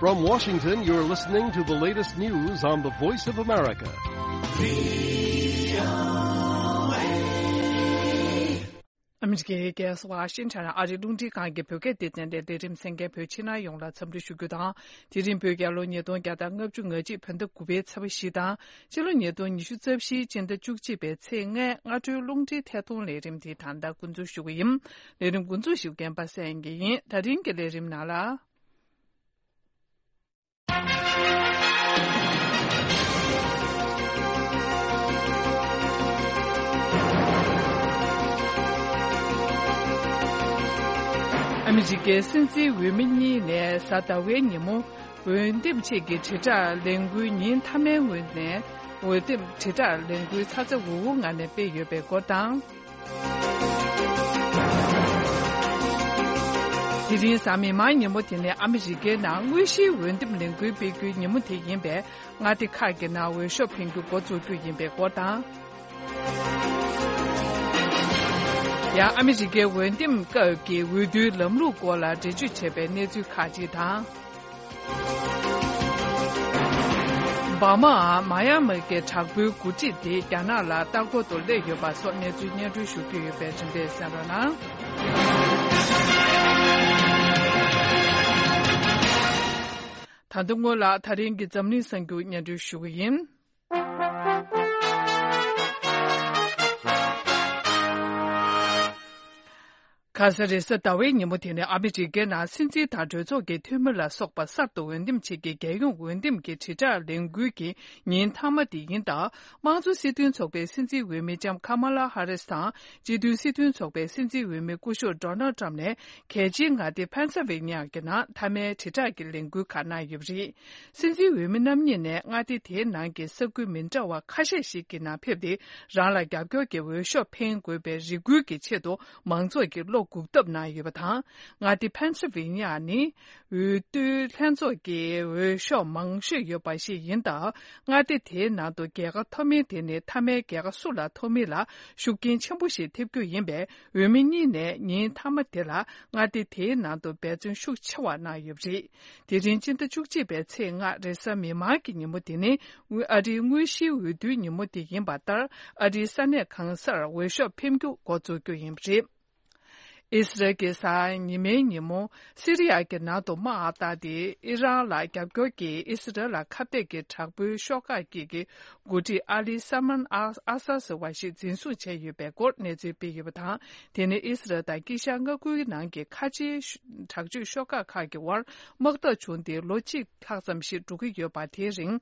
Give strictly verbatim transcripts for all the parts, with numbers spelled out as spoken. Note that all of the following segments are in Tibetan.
From Washington, you're listening to the latest news on the Voice of America. ཨ་མི་རི་ཀའི་རྒྱལ་ས་ཝ་ཤིང་ཊོན་ཨ་རིའི་རླུང་འཕྲིན་ཁང་གི་བོད་སྐད་སྡེ་ཚན་ལས་ལས་རིམ་གསན་མཁན་བོད་ཕྱི་ནང་ཡོངས་ལ་འཚམས་འདྲི་ཞུ་རྒྱུ་དང་། དེ་རིང་བོད་རྒྱལ་ལོ་ཉིས་སྟོང་བརྒྱ་དང་ལྔ་བཅུ་ང་གཅིག་བོད་ཟླ་དགུ་པའི་ཚེས་པ་བཞི་དང་། ཕྱི་ལོ་ཉིས་སྟོང་ཉི་ཤུ་རྩ་བཞིའི་སྤྱི་ཟླ་བཅུ་གཅིག་པའི་ཚེས་ལྔའི་སྔ་དྲོའི་རླུང་འཕྲིན་ཐད་གཏོང་ལས་རིམ་དེ་ད་ལྟ་འགོ་འཛུགས་ཞུ་གི་ཡིན། ལས་རིམ་འགོ་འཛུགས་ཞུ་མཁན་པ་སངས་དགེ་ཡིན། ད་རིང་གི་ལས་རིམ་ནང་ལ། ཨ་མི་རི་ཀའི་སྲིད་འཛིན་འོས་མི་གཉིས་ནས་གཟའ་ཟླ་བའི་ཉིན་མོ་འོས་འདེམས་ཆེད་ཀྱི་དྲིལ་བསྒྲགས་ལས་འགུལ་ཉིན་མཐའ་མའི་ངོས་ནས་འོས་འདེམས་དྲིལ་བསྒྲགས་ལས་འགུལ་ཚ་ཚ་འུར་འུར་ངང་ནས་སྤེལ་ཡོད་པའི་སྐོར་དང་། དེ་རིང་གཟའ་མིག་དམར་ཉིན་མོ་དེ་ནི་ཨ་མི་རི་ཀའི་ནང་དངོས་གཞིའི་འོས་འདེམས་ལས་འགུལ་སྤེལ་རྒྱུའི་ཉིན་མོ་དེ་ཡིན་པས། མངའ་སྡེ་ཁག་གི་ནང་འོས་ཤོག་འཕེན་རྒྱུ་འགོ་འཛུགས་རྒྱུ་ཡིན་པའི་སྐོར་དང་། ཡང་ཨ་མི་རི་ཀའི་འོས་འདེམས་སྐབས་ཀྱི་འོས་བསྡུའི་ལམ་ལུགས་སྐོར་ལ་འགྲེལ་བརྗོད་བྱས་པའི་གནས་ཚུལ་ཁག་ཅིག་དང་། འབར་མའམ་མ་ཡ་མ་གི་དྲག་པོའི་འགོ་ཁྲིད་དེ་རྒྱ་ནག་ལ་ལྟ་སྐོར་དུ་སླེབས་ཡོད་པ་སོགས་གནས་ཚུལ་སྙན་སྒྲོན་ཞུ་རྒྱུ་ཡོད་པས་རིམ་པས་གསན་རོགས་གནང་། ད་དུང་སྔོན་ལ་ད་རིང་གི་འཛམ་གླིང་གསར་འགྱུར་སྙན་སྒྲོན་ཞུ་གི་ཡིན། ཁ་ས་རེས་གཟའ་ཟླ་བའི་ཉིན་མོ་དེ་ནི་ཨ་མི་རི་ཀའི་ནང་སྲིད་འཛིན་དང་གྲོས་ཚོགས་ཀྱི་འཐུས་མི་ལ་སོགས་པ་གསར་དུ་འོས་འདེམས་བྱེད་ཀྱི་རྒྱལ་ཡོངས་འོས་འདེམས་ཀྱི་དྲིལ་བསྒྲགས་ལས་འགུལ་གྱི་ཉིན་མཐའ་མ་དེ་ཡིན་སྟབས། དམངས་གཙོ་སྲིད་དོན་ཚོགས་པའི་སྲིད་འཛིན་འོས་མི་ལྕམ་ཁ་མ་ལ་ཧ་རིས་དང་། སྤྱི་མཐུན་སྲིད་དོན་ཚོགས་པའི་སྲིད་འཛིན་འོས་མི་སྐུ་ཞབས་ཌོ་ནལ་ཊམ་ནས་གལ་ཆེའི་མངའ་སྡེ་ཕེན་སིལ་ཝེ་ནི་ཡ་གི་ནང་མཐའ་མའི་དྲིལ་བསྒྲགས་ཀྱི་ལས་འགུལ་ཁག་གནང་ཡོད་པ་རེད། སྲིད་འཛིན་འོས་མི་རྣམ་གཉིས་ནས་མངའ་སྡེ་དེའི་ནང་གི་ས་ཁུལ་མི་འདྲ་བ་ཁ་ཤས་ཤིག་གི་ནང་ཕེབས་ཏེ། རང་ལ་རྒྱབ་སྐྱོར་གྱི་འོས་ཤོག་འཕེན་དགོས་པའི་རེ་སྐུལ་གྱི་ཆེད་དུ་མང་ཚོགས་ཀྱི་བློ་འགུག་ཐབས་གནང་ཡོད་པ་དང་། མངའ་སྡེ་ཕེན་སིལ་ཝེ་ནི་ཡ་ནི་འོས་བསྡུའི་ལྷན་ཚོགས་ཀྱི་འོས་ཤོག་མང་ཤོས་ཡོད་པ་ཞིག་ཡིན་སྟབས། མངའ་སྡེ་དེའི་ནང་དུ་རྒྱལ་ཁ་ཐོབ་མིན་དེ་ནི་མཐའ་མའི་རྒྱལ་ཁ་སུ་ལ་ཐོབ་མིན་ལ་ཤུགས་རྐྱེན་ཆེན་པོ་ཞིག་ཐེབས་རྒྱུ་ཡིན་པས། འོས་མི་གཉིས་ནས་ཉིན་མཐའ་མ་དེ་ལ་མངའ་སྡེ་དེའི་ནང་དུ་འབད་བརྩོན་ཤུགས་ཆེ་བ་གནང་ཡོད་པ་རེད། དེ་རིང་སྤྱི་ཟླ་བཅུ་གཅིག་པའི་ཚེས་ལྔ་རེས་གཟའ་མིག་དམར་གྱི་ཉིན་མོ་དེ་ནི་ཨ་རིའི་དངོས་གཞིའི་འོས་བསྡུའི་ཉིན་མོ་དེ་ཡིན་པ་ལྟར། ཨ་རིའི་ས་གནས་གང་སར་འོས་ཤོག་འཕེན་རྒྱུ་འགོ་འཛུགས་རྒྱུ་ཡིན་པ་རེད། ཨི་སི་རལ་གྱིས་གཟའ་ཉི་མའི་ཉིན་མོ་སི་རི་ཡ་གི་ནང་དུ་དམག་བཏང་སྟེ། ཨི་རན་ལ་རྒྱབ་སྐྱོར་གྱིས་ཨི་སི་རལ་ལ་ཁ་གཏད་ཀྱི་དྲག་པོའི་ཤོག་ཁག་གཅིག་གི་འགོ་ཁྲིད་ཨ་ལི་ས་མན་ཨ་ཨ་ས་ཟེར་བ་ཞིག་འཛིན་བཟུང་བྱས་ཡོད་པའི་སྐོར་གནས་ཚུལ་སྤེལ་ཡོད་པ་དང་། དེ་ནི་ཨི་སི་རལ་དང་དཀྱིལ་ཤར་མངའ་ཁུལ་ནང་གི་ཁ་ཆེའི་དྲག་སྤྱོད་ཤོག་ཁག་ཁག་གི་དབར་དམག་འཐབ་བྱུང་སྟེ་ལོ་གཅིག་ལྷག་ཙམ་ཞིག་འགྲོ་གི་ཡོད་པ། དེའི་རིང་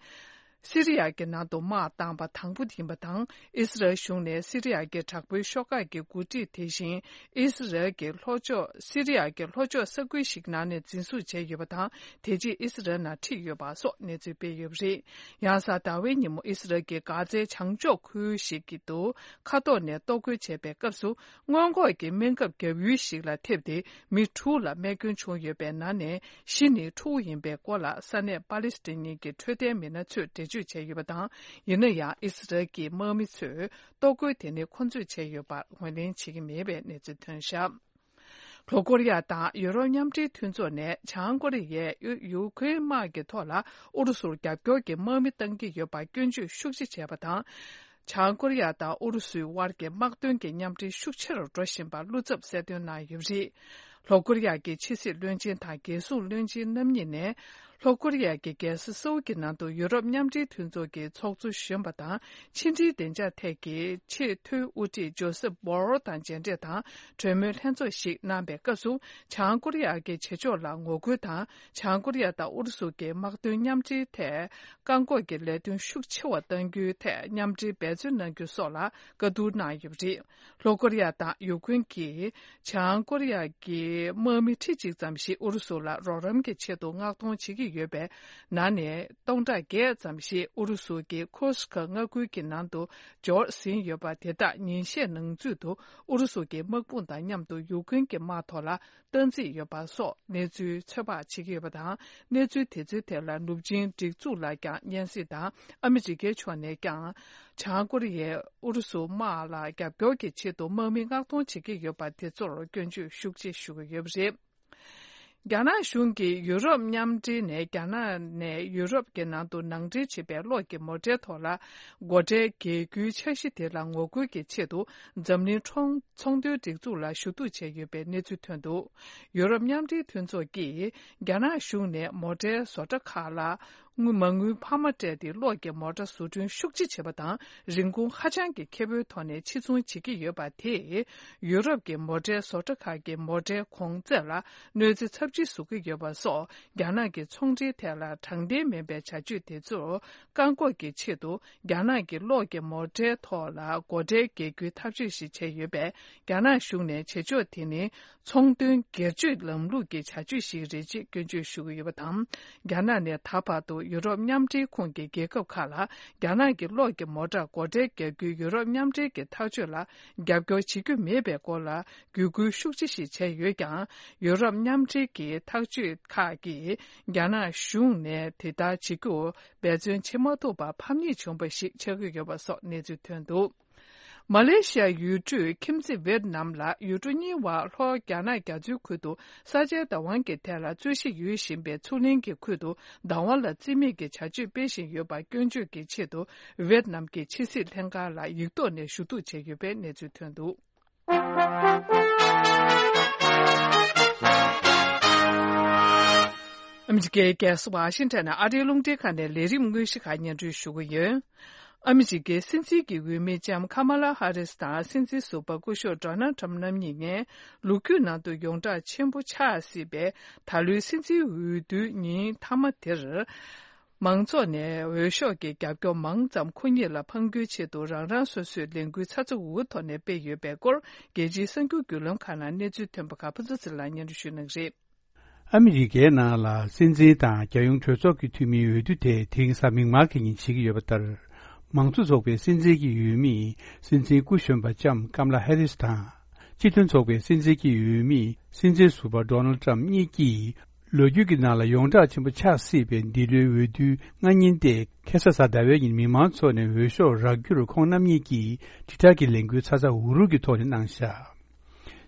སི་རི་ཡ་གི་ནང་དུ་དམག་བཏང་བ་དང་པོ་ཡིན་པ་དང་། ཨི་སི་རལ་གཞུང་ནས་སི་རི་ཡ་གི་དྲག་པོའི་ཤོག་ཁག་གི་འགོ་ཁྲིད་དེ་བཞིན་ཨི་སི་རལ་གྱི་ལྷོ་ཕྱོགས། སི་རི་ཡ་གི་ལྷོ་ཕྱོགས་ས་ཁུལ་ཞིག་ནང་ནས་འཛིན་བཟུང་བྱས་ཡོད་པ་དང་། དེ་རྗེས་ཨི་སི་རལ་ནང་ཁྲིད་ཡོད་པ་སོགས་གནས་ཚུལ་སྤེལ་ཡོད་པ་རེད། ཡང་གཟའ་ཟླ་བའི་ཉིན་མོ་ཨི་སི་རལ་གྱི་གྷ་ཛའི་བྱང་ཕྱོགས་ཁུལ་ཞིག་གི་ཏུ་མཁའ་ཐོག་ནས་གཏོར་རྒོལ་བྱས་པའི་སྐབས་སུ། སྔོན་འགོག་གི་སྨན་ཁབ་བརྒྱབ་ཡུལ་ཞིག་ལ་ཐེབས་ཏེ་མི་དྲུག་ལ་རྨས་སྐྱོན་བྱུང་ཡོད་པའི་ནང་ནས་བཞི་ནི་ཕྲུ་གུ་ཡིན་པའི་སྐོར་ལ་ས་གནས་པ་ལི་སི་ཐན་གྱི་འཕྲོད་བསྟེན་མི་སྣ་ཚོས་འགྲེལ་བརྗོད་བྱས་ཡོད་པ་དང་། ཡིན་ན་ཡང་ཨི་སི་རལ་གྱི་དམག་མི་ཚོས་གཏོར་རྒོལ་དེ་ནི་ཁོ་ཚོས་བྱས་ཡོད་པར་ངོས་ལེན་བྱེད་ཀྱི་མེད་པའི་གནས་ཚུལ་ཐོན་བཞག་ལྷོ་ཀོ་རི་ཡ་དང་ཡུ་རོབ་མཉམ་འབྲེལ་མཐུན་ཚོགས་ནས་བྱང་ཀོ་རི་ཡས་ཡུ་ཡུ་ཁུན་དམག་གི་ཐོག་ལ་ཨུ་རུ་སུར་རྒྱབ་སྐྱོར་གྱི་དམག་མི་གཏང་གི་ཡོད་པར་སྐྱོན་བརྗོད་ཤུགས་ཆེ་བྱས་པ་དང་། བྱང་ཀོ་རི་ཡ་དང་ཨུ་རུ་སུའི་དབར་གྱི་དམག་དོན་གྱི་མཉམ་འབྲེལ་ཤུགས་ཆེ་རུ་འགྲོ་བཞིན་པར་བློ་འཚབ་གསལ་སྟོན་གནང་ཡོད་པ་རེད། ལྷོ་ཀོ་རི་ཡ་གི་ཕྱི་སྲིད་བློན་ཆེན་དང་རྒྱལ་སྲུང་བློན་ཆེན་རྣམ་གཉིས་ནས། ལྷོ་ཀོ་རི་ཡ་གི་རྒྱལ་ས་སོའུ་གི་ནང་དུ་ཡུ་རོབ་མཉམ་འབྲེལ་མཐུན་ཚོགས་ཀྱི་ཚོགས་གཙོ་གཞོན་པ་དང་ཕྱི་འབྲེལ་བདེ་འཇགས་ཐད་ཀྱི་ཆེས་མཐོའི་དབུ་ཁྲིད་ཇོ་སེབ་བྷོ་རལ་དང་མཇལ་འཕྲད་དང་གྲོས་མོལ་ལྷན་ཚོགས་ཤིག་གནང་པའི་སྐབས་སུ། བྱང་ཀོ་རི་ཡ་གི་བྱེད་ཕྱོགས་ལ་ངོ་རྒོལ་དང་། བྱང་ཀོ་རི་ཡ་དང་ཨུ་རུ་སུ་གྱི་དམག་དོན་མཉམ་འབྲེལ་ཐད་བཀག་འགོག་གི་ལས་དོན་ཤུགས་ཆེ་བ་གཏང་རྒྱུའི་ཐད་མཉམ་འབྲེལ་འབད་བརྩོན་གནང་རྒྱུ་སོགས་ལ་བཀའ་བསྡུར་གནང་ཡོད་པ་རེད། ལྷོ་ཀོ་རི་ཡ་དང་ཡུ་ཀུན་གྱིས་བྱང་ཀོ་རི་ཡ་གི་དམག་མི་ཁྲི་གཅིག་ཙམ་ཞིག་ཨུ་རུ་སུ་ལ་རོགས་རམ་གྱི་ཆེད་དུ་མངགས་གཏོང་བྱེད་ཀྱི་ཡོད་པའི་ནང་ནས་སྟོང་ཕྲག་བརྒྱད་ཙམ་ཞིག་ཨུ་རུ་སུ་གྱི་ཁུར་སི་ཁ་མངའ་ཁུལ་གྱི་ནང་དུ་འབྱོར་ཟིན་ཡོད་པ། དེ་དག་ཉིན་ཤས་ནང་ཚུད་དུ་ཨུ་རུ་སུ་གྱི་དམག་དཔུང་དང་མཉམ་དུ་ཡུ་ཀུན་གྱི་དམག་ཐོག་ལ་སྟངས་འཛིན་ཡོད་པ་སོགས་གནས་ཚུལ་ཚོད་དཔག་བྱེད་ཀྱི་ཡོད་པ་དང་། གནས་ཚུལ་དེ་ཚོའི་ཐད་ལ་ནུབ་ཆིངས་སྒྲིག་འཛུགས་ལ་ཀྱང་སྙན་སེང་དང་། ཨ་མི་རི་ཀའི་ཕྱོགས་ནས་ཀྱང་། བྱང་ཀོ་རི་ཡས་ཨུ་རུ་སུ་དམག་ལ་རྒྱབ་སྐྱོར་གྱི་ཆེད་དུ་དམག་མི་མངགས་གཏོང་བྱེད་ཀྱི་ཡོད་པ་དེ་ཚོར་སྐྱོན་བརྗོད་ཤུགས་ཆེ་ཞུ་གི་ཡོད་པ་རེད། རྒྱ་ནག་གཞུང་གིས་ཡུ་རོབ་མཉམ་འབྲེལ་ནས་རྒྱ་ནག་ནས་ཡུ་རོབ་ཀྱི་ནང་དུ་ནང་འདྲེན་བྱེད་པའི་གློག་གི་མོ་ཊའི་ཐོག་ལ་སྒོ་ཁྲལ་འགེལ་རྒྱུའི་འཆར་གཞི་དེ་ལ་ངོ་རྒོལ་གྱི་ཆེད་དུ། འཛམ་གླིང་ཚོང་ཚོང་དོན་སྒྲིག་འཛུགས་ལ་ཞུ་གཏུག་བྱས་ཡོད་པའི་གནས་ཚུལ་ཐོན་འདུག་ཡུ་རོབ་མཉམ་འབྲེལ་མཐུན་ཚོགས་ཀྱིས་རྒྱ་ནག་གཞུང་ནས་མོ་ཊའི་བཟོ་གྲྭ་ཁག་ལ་དངུལ་མ་དངུལ་འཕར་མ་སྤྲད་དེ་གློག་གི་མོ་ཊ་བཟོ་སྐྲུན་ཤུགས་ཆེ་བྱེད་པ་དང་། རིན་གོང་ཧ་ཅང་གི་ཁེ་པོའི་ཐོག་ནས་ཕྱིར་ཚོང་བྱེད་ཀྱི་ཡོད་པ་དེས། ཡུ་རོབ་ཀྱི་མོ་ཊའི་བཟོ་གྲྭ་ཁག་གི་མོ་ཊའི་གོང་ཚད་ལ་གནོད་འཚེ་ཚབས་ཆེ་བཟོ་གི་ཡོད་པ་སོགས། རྒྱ་ནག་གི་ཚོང་འབྲེལ་ཐད་ལ་དྲང་བདེན་མིན་པའི་བྱ་སྤྱོད་དེ་ཚོར་བཀག་འགོག་གི་ཆེད་དུ། རྒྱ་ནག་གི་གློག་གི་མོ་ཊའི་ཐོག་ལ་སྒོ་ཁྲལ་འགེལ་རྒྱུའི་ཐག་གཅོད་ཞིག་བྱས་ཡོད་པས། རྒྱ་ནག་གཞུང་ནས་བྱེད་ཕྱོགས་དེ་ནི་ཚོང་དོན་སྒེར་གཅོད་ལམ་ལུགས་ཀྱི་བྱ་སྤྱོད་ཞིག་རེད་ཅེས་སྐྱོན་བརྗོད་ཞུ་གི་ཡོད་པ་དང་། རྒྱ་ནག་ནས་ད་བར་དུ་ཡུ་རོབ་མཉམ་འབྲེལ་ཁོངས་ཀྱི་རྒྱལ་ཁབ་ཁག་ལ་རྒྱ་ནག་གི་གློག་གི་མོ་ཊར་སྒོ་ཁྲལ་རྒྱག་རྒྱུའི་ཡུ་རོབ་མཉམ་འབྲེལ་གྱི་ཐག་གཅོད་ལ་རྒྱབ་སྐྱོར་བྱེད་རྒྱུ་མེད་པའི་སྐོར་ལ་བརྒྱུད་སྐུལ་ཤུགས་ཆེ་ཞིག་བྱས་ཡོད་ཀྱང་། ཡུ་རོབ་མཉམ་འབྲེལ་གྱི་ཐག་གཅོད་ཁག་གིས་རྒྱ་ནག་གཞུང་ནས་དེ་ལྟར་བྱེད་རྒྱུར་འབད་བརྩོན་བྱེད་མ་ཐུབ་པར་ཕམ་ཉེས་བྱུང་བ་ཞིག་ཆགས་ཀྱི་ཡོད་པ་སོགས་གནས་ཚུལ་ཐོན་འདུག་མ་ལེ་ཤི་ཡའི་ཡུལ་གྲུ་ཁྱིམ་མཚེས་ཝེད་ནམ་ལ་ཡུལ་གྲུ་གཉིས་བར་ལྷོ་རྒྱ་ནག་རྒྱ་མཚོའི་ཁུལ་དུ་ས་ཆའི་བདག་དབང་གི་ཐད་ལ་རྩོད་གཞི་ཡོད་བཞིན་པའི་མཚོ་གླིང་གི་ཁུལ་དུ་བདག་དབང་ལ་བརྩི་མེད་ཀྱི་བྱ་སྤྱོད་སྤེལ་བཞིན་ཡོད་པར་སྐྱོན་བརྗོད་ཀྱི་ཆེད་དུ། ཝེད་ནམ་གྱི་ཕྱི་སྲིད་ལྷན་ཁང་ལ་ཡིག་ཐོག་ནས་ཞུ་གཏུག་བྱས་ཡོད་པའི་གནས་ཚུལ་ཐོན་འདུག་ཨ་མི་རི་ཀའི་རྒྱལ་ས་ཝ་ཤིང་ཊོན་ནས་ཨ་རིའི་རླུང་འཕྲིན་ཁང་ནས་ལས་རིམ་དངོས་གཞི་ཁག་སྙན་སྒྲོན་ཞུ་གི་ཡོད། ཨ་མི་རི་ཀའི་སྲིད་འཛིན་གྱི་འོས་མི་ལྕམ་ཁ་མ་ལ་ཧ་རིས་དང་སྲིད་འཛིན་ཟུར་པ་སྐུ་ཞབས་ཌོ་ནལ་ཊམ་རྣམ་གཉིས་ནས་ལོ་རྒྱུས་ནང་དུ་ཡོངས་གྲགས་ཆེན་པོ་ཆགས་སྲིད་པའི་ད་ལོའི་སྲིད་འཛིན་འོས་བསྡུའི་ཉིན་མཐའ་མ་དེར། མང་ཚོགས་ནས་འོས་ཤོག་གི་རྒྱབ་སྐྱོར་མང་ཙམ་ཁོ་གཉིས་ལ་འཕང་རྒྱུའི་ཆེད་དུ་རང་རང་སོ་སོས་ལས་འགུལ་ཚ་ཚ་འུར་འུར་ཐོག་ནས་སྤེལ་ཡོད་པའི་སྐོར། རྒྱལ་སྤྱིའི་གསར་འགྱུར་བརྒྱུད་ལམ་ཁག་ནང་གནས་ཚུལ་ཐོན་པ་ཁག་ཕུན་ཚོགས་ཚེ་རིང་ལགས་སྙན་སྒྲོན་ཞུ་གནང་གི་རེད། ཨ་མི་རི་ཀའི་ནང་ལ་སྲིད་འཛིན་དང་རྒྱལ་ཡོངས་གྲོས་ཚོགས་ཀྱི་འཐུས་མིའི་འོས་བསྡུ་དེ་དེ་རིང་གཟའ་མིག་དམར་གྱི་ཉིན་བྱེད་ཀྱི་ཡོད་པ་ལྟར། མང་གཙོ་ཚོགས་པའི་སྲིད་འཛིན་གྱི་འོས་མིས་སྲིད་འཛིན་སྐུ་གཞོན་པ་ལྕམ་ཀམ་ལ་ཧེ་རིས་དང་། སྤྱི་མཐུན་ཚོགས་པའི་སྲིད་འཛིན་གྱི་འོས་མི་སྲིད་འཛིན་ཟུར་པ་ཌོ་ནལ་ཊམ་གཉིས་ཀྱིས། ལོ་རྒྱུས་ཀྱི་ནང་ལ་ཡོངས་གྲགས་ཆེན་པོ་ཆགས་སྲིད་པའི་འདི་ལོའི་འོས་བསྡུའི་སྔ་ཉིན་ཏེ། ཁ་སང་གཟའ་ཟླ་བའི་ཉིན་མི་མང་ཚོ་ནས་འོས་ཤོག་རག་རྒྱུར་ཁོང་རྣམ་གཉིས་ཀྱིས་དྲིལ་བསྒྲགས་ཀྱི་ལས་འགུལ་ཚ་ཚ་འུར་འུར་གྱི་ཐོག་ནས་གནང་བཞག་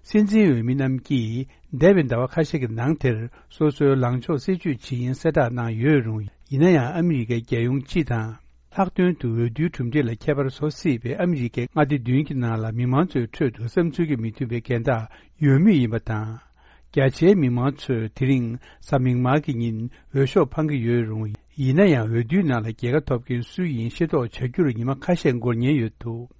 སྲིད་འཛིན་འོས་མི་རྣམས་ཀྱིས་འདས་པའི་ཟླ་བ་ཁ་ཤས་ཀྱི་ནང་དེར་སོ་སོའི་ལངས་ཕྱོགས་གསལ་བརྗོད་བྱེད་ཡིན་གསལ་བསྒྲགས་གནང་ཡོད་རུང་། ཡིན་ན་ཡང་ཨ་མི་རི་ཀའི་རྒྱལ་ཡོངས་སྤྱི་དང་། ལྷག་དོན་དུ་འོས་བསྡུའི་གྲུབ་འབྲས་ལ་ཁྱད་པར་བཟོ་སྲིད་པའི་ཨ་མི་རི་ཀའི་མངའ་སྡེ་བདུན་གྱི་ནང་ལ་མི་མང་ཚོའི་ཁྲོད་དུ་བསམ་ཚུལ་གྱིས་མི་མཐུན་པའི་འགལ་ཟླ་ཡོད་མུས་ཡིན་པ་དང་། རྒྱ་ཆེའི་མི་མང་ཚོས་དེ་རིང་གཟའ་མིག་དམར་གྱི་ཉིན་འོས་ཤོག་འཕང་གི་ཡོད་རུང་། ཡིན་ན་ཡང་འོས་བསྡུའི་ནང་ལ་རྒྱལ་ཁ་ཐོབ་མཁན་སུ་ཡིན་ཤེས་རྟོགས་བྱ་རྒྱུར་ཉི་མ་ཁ་ཤས་འགོར་ཉེན་ཡོད་འདུག་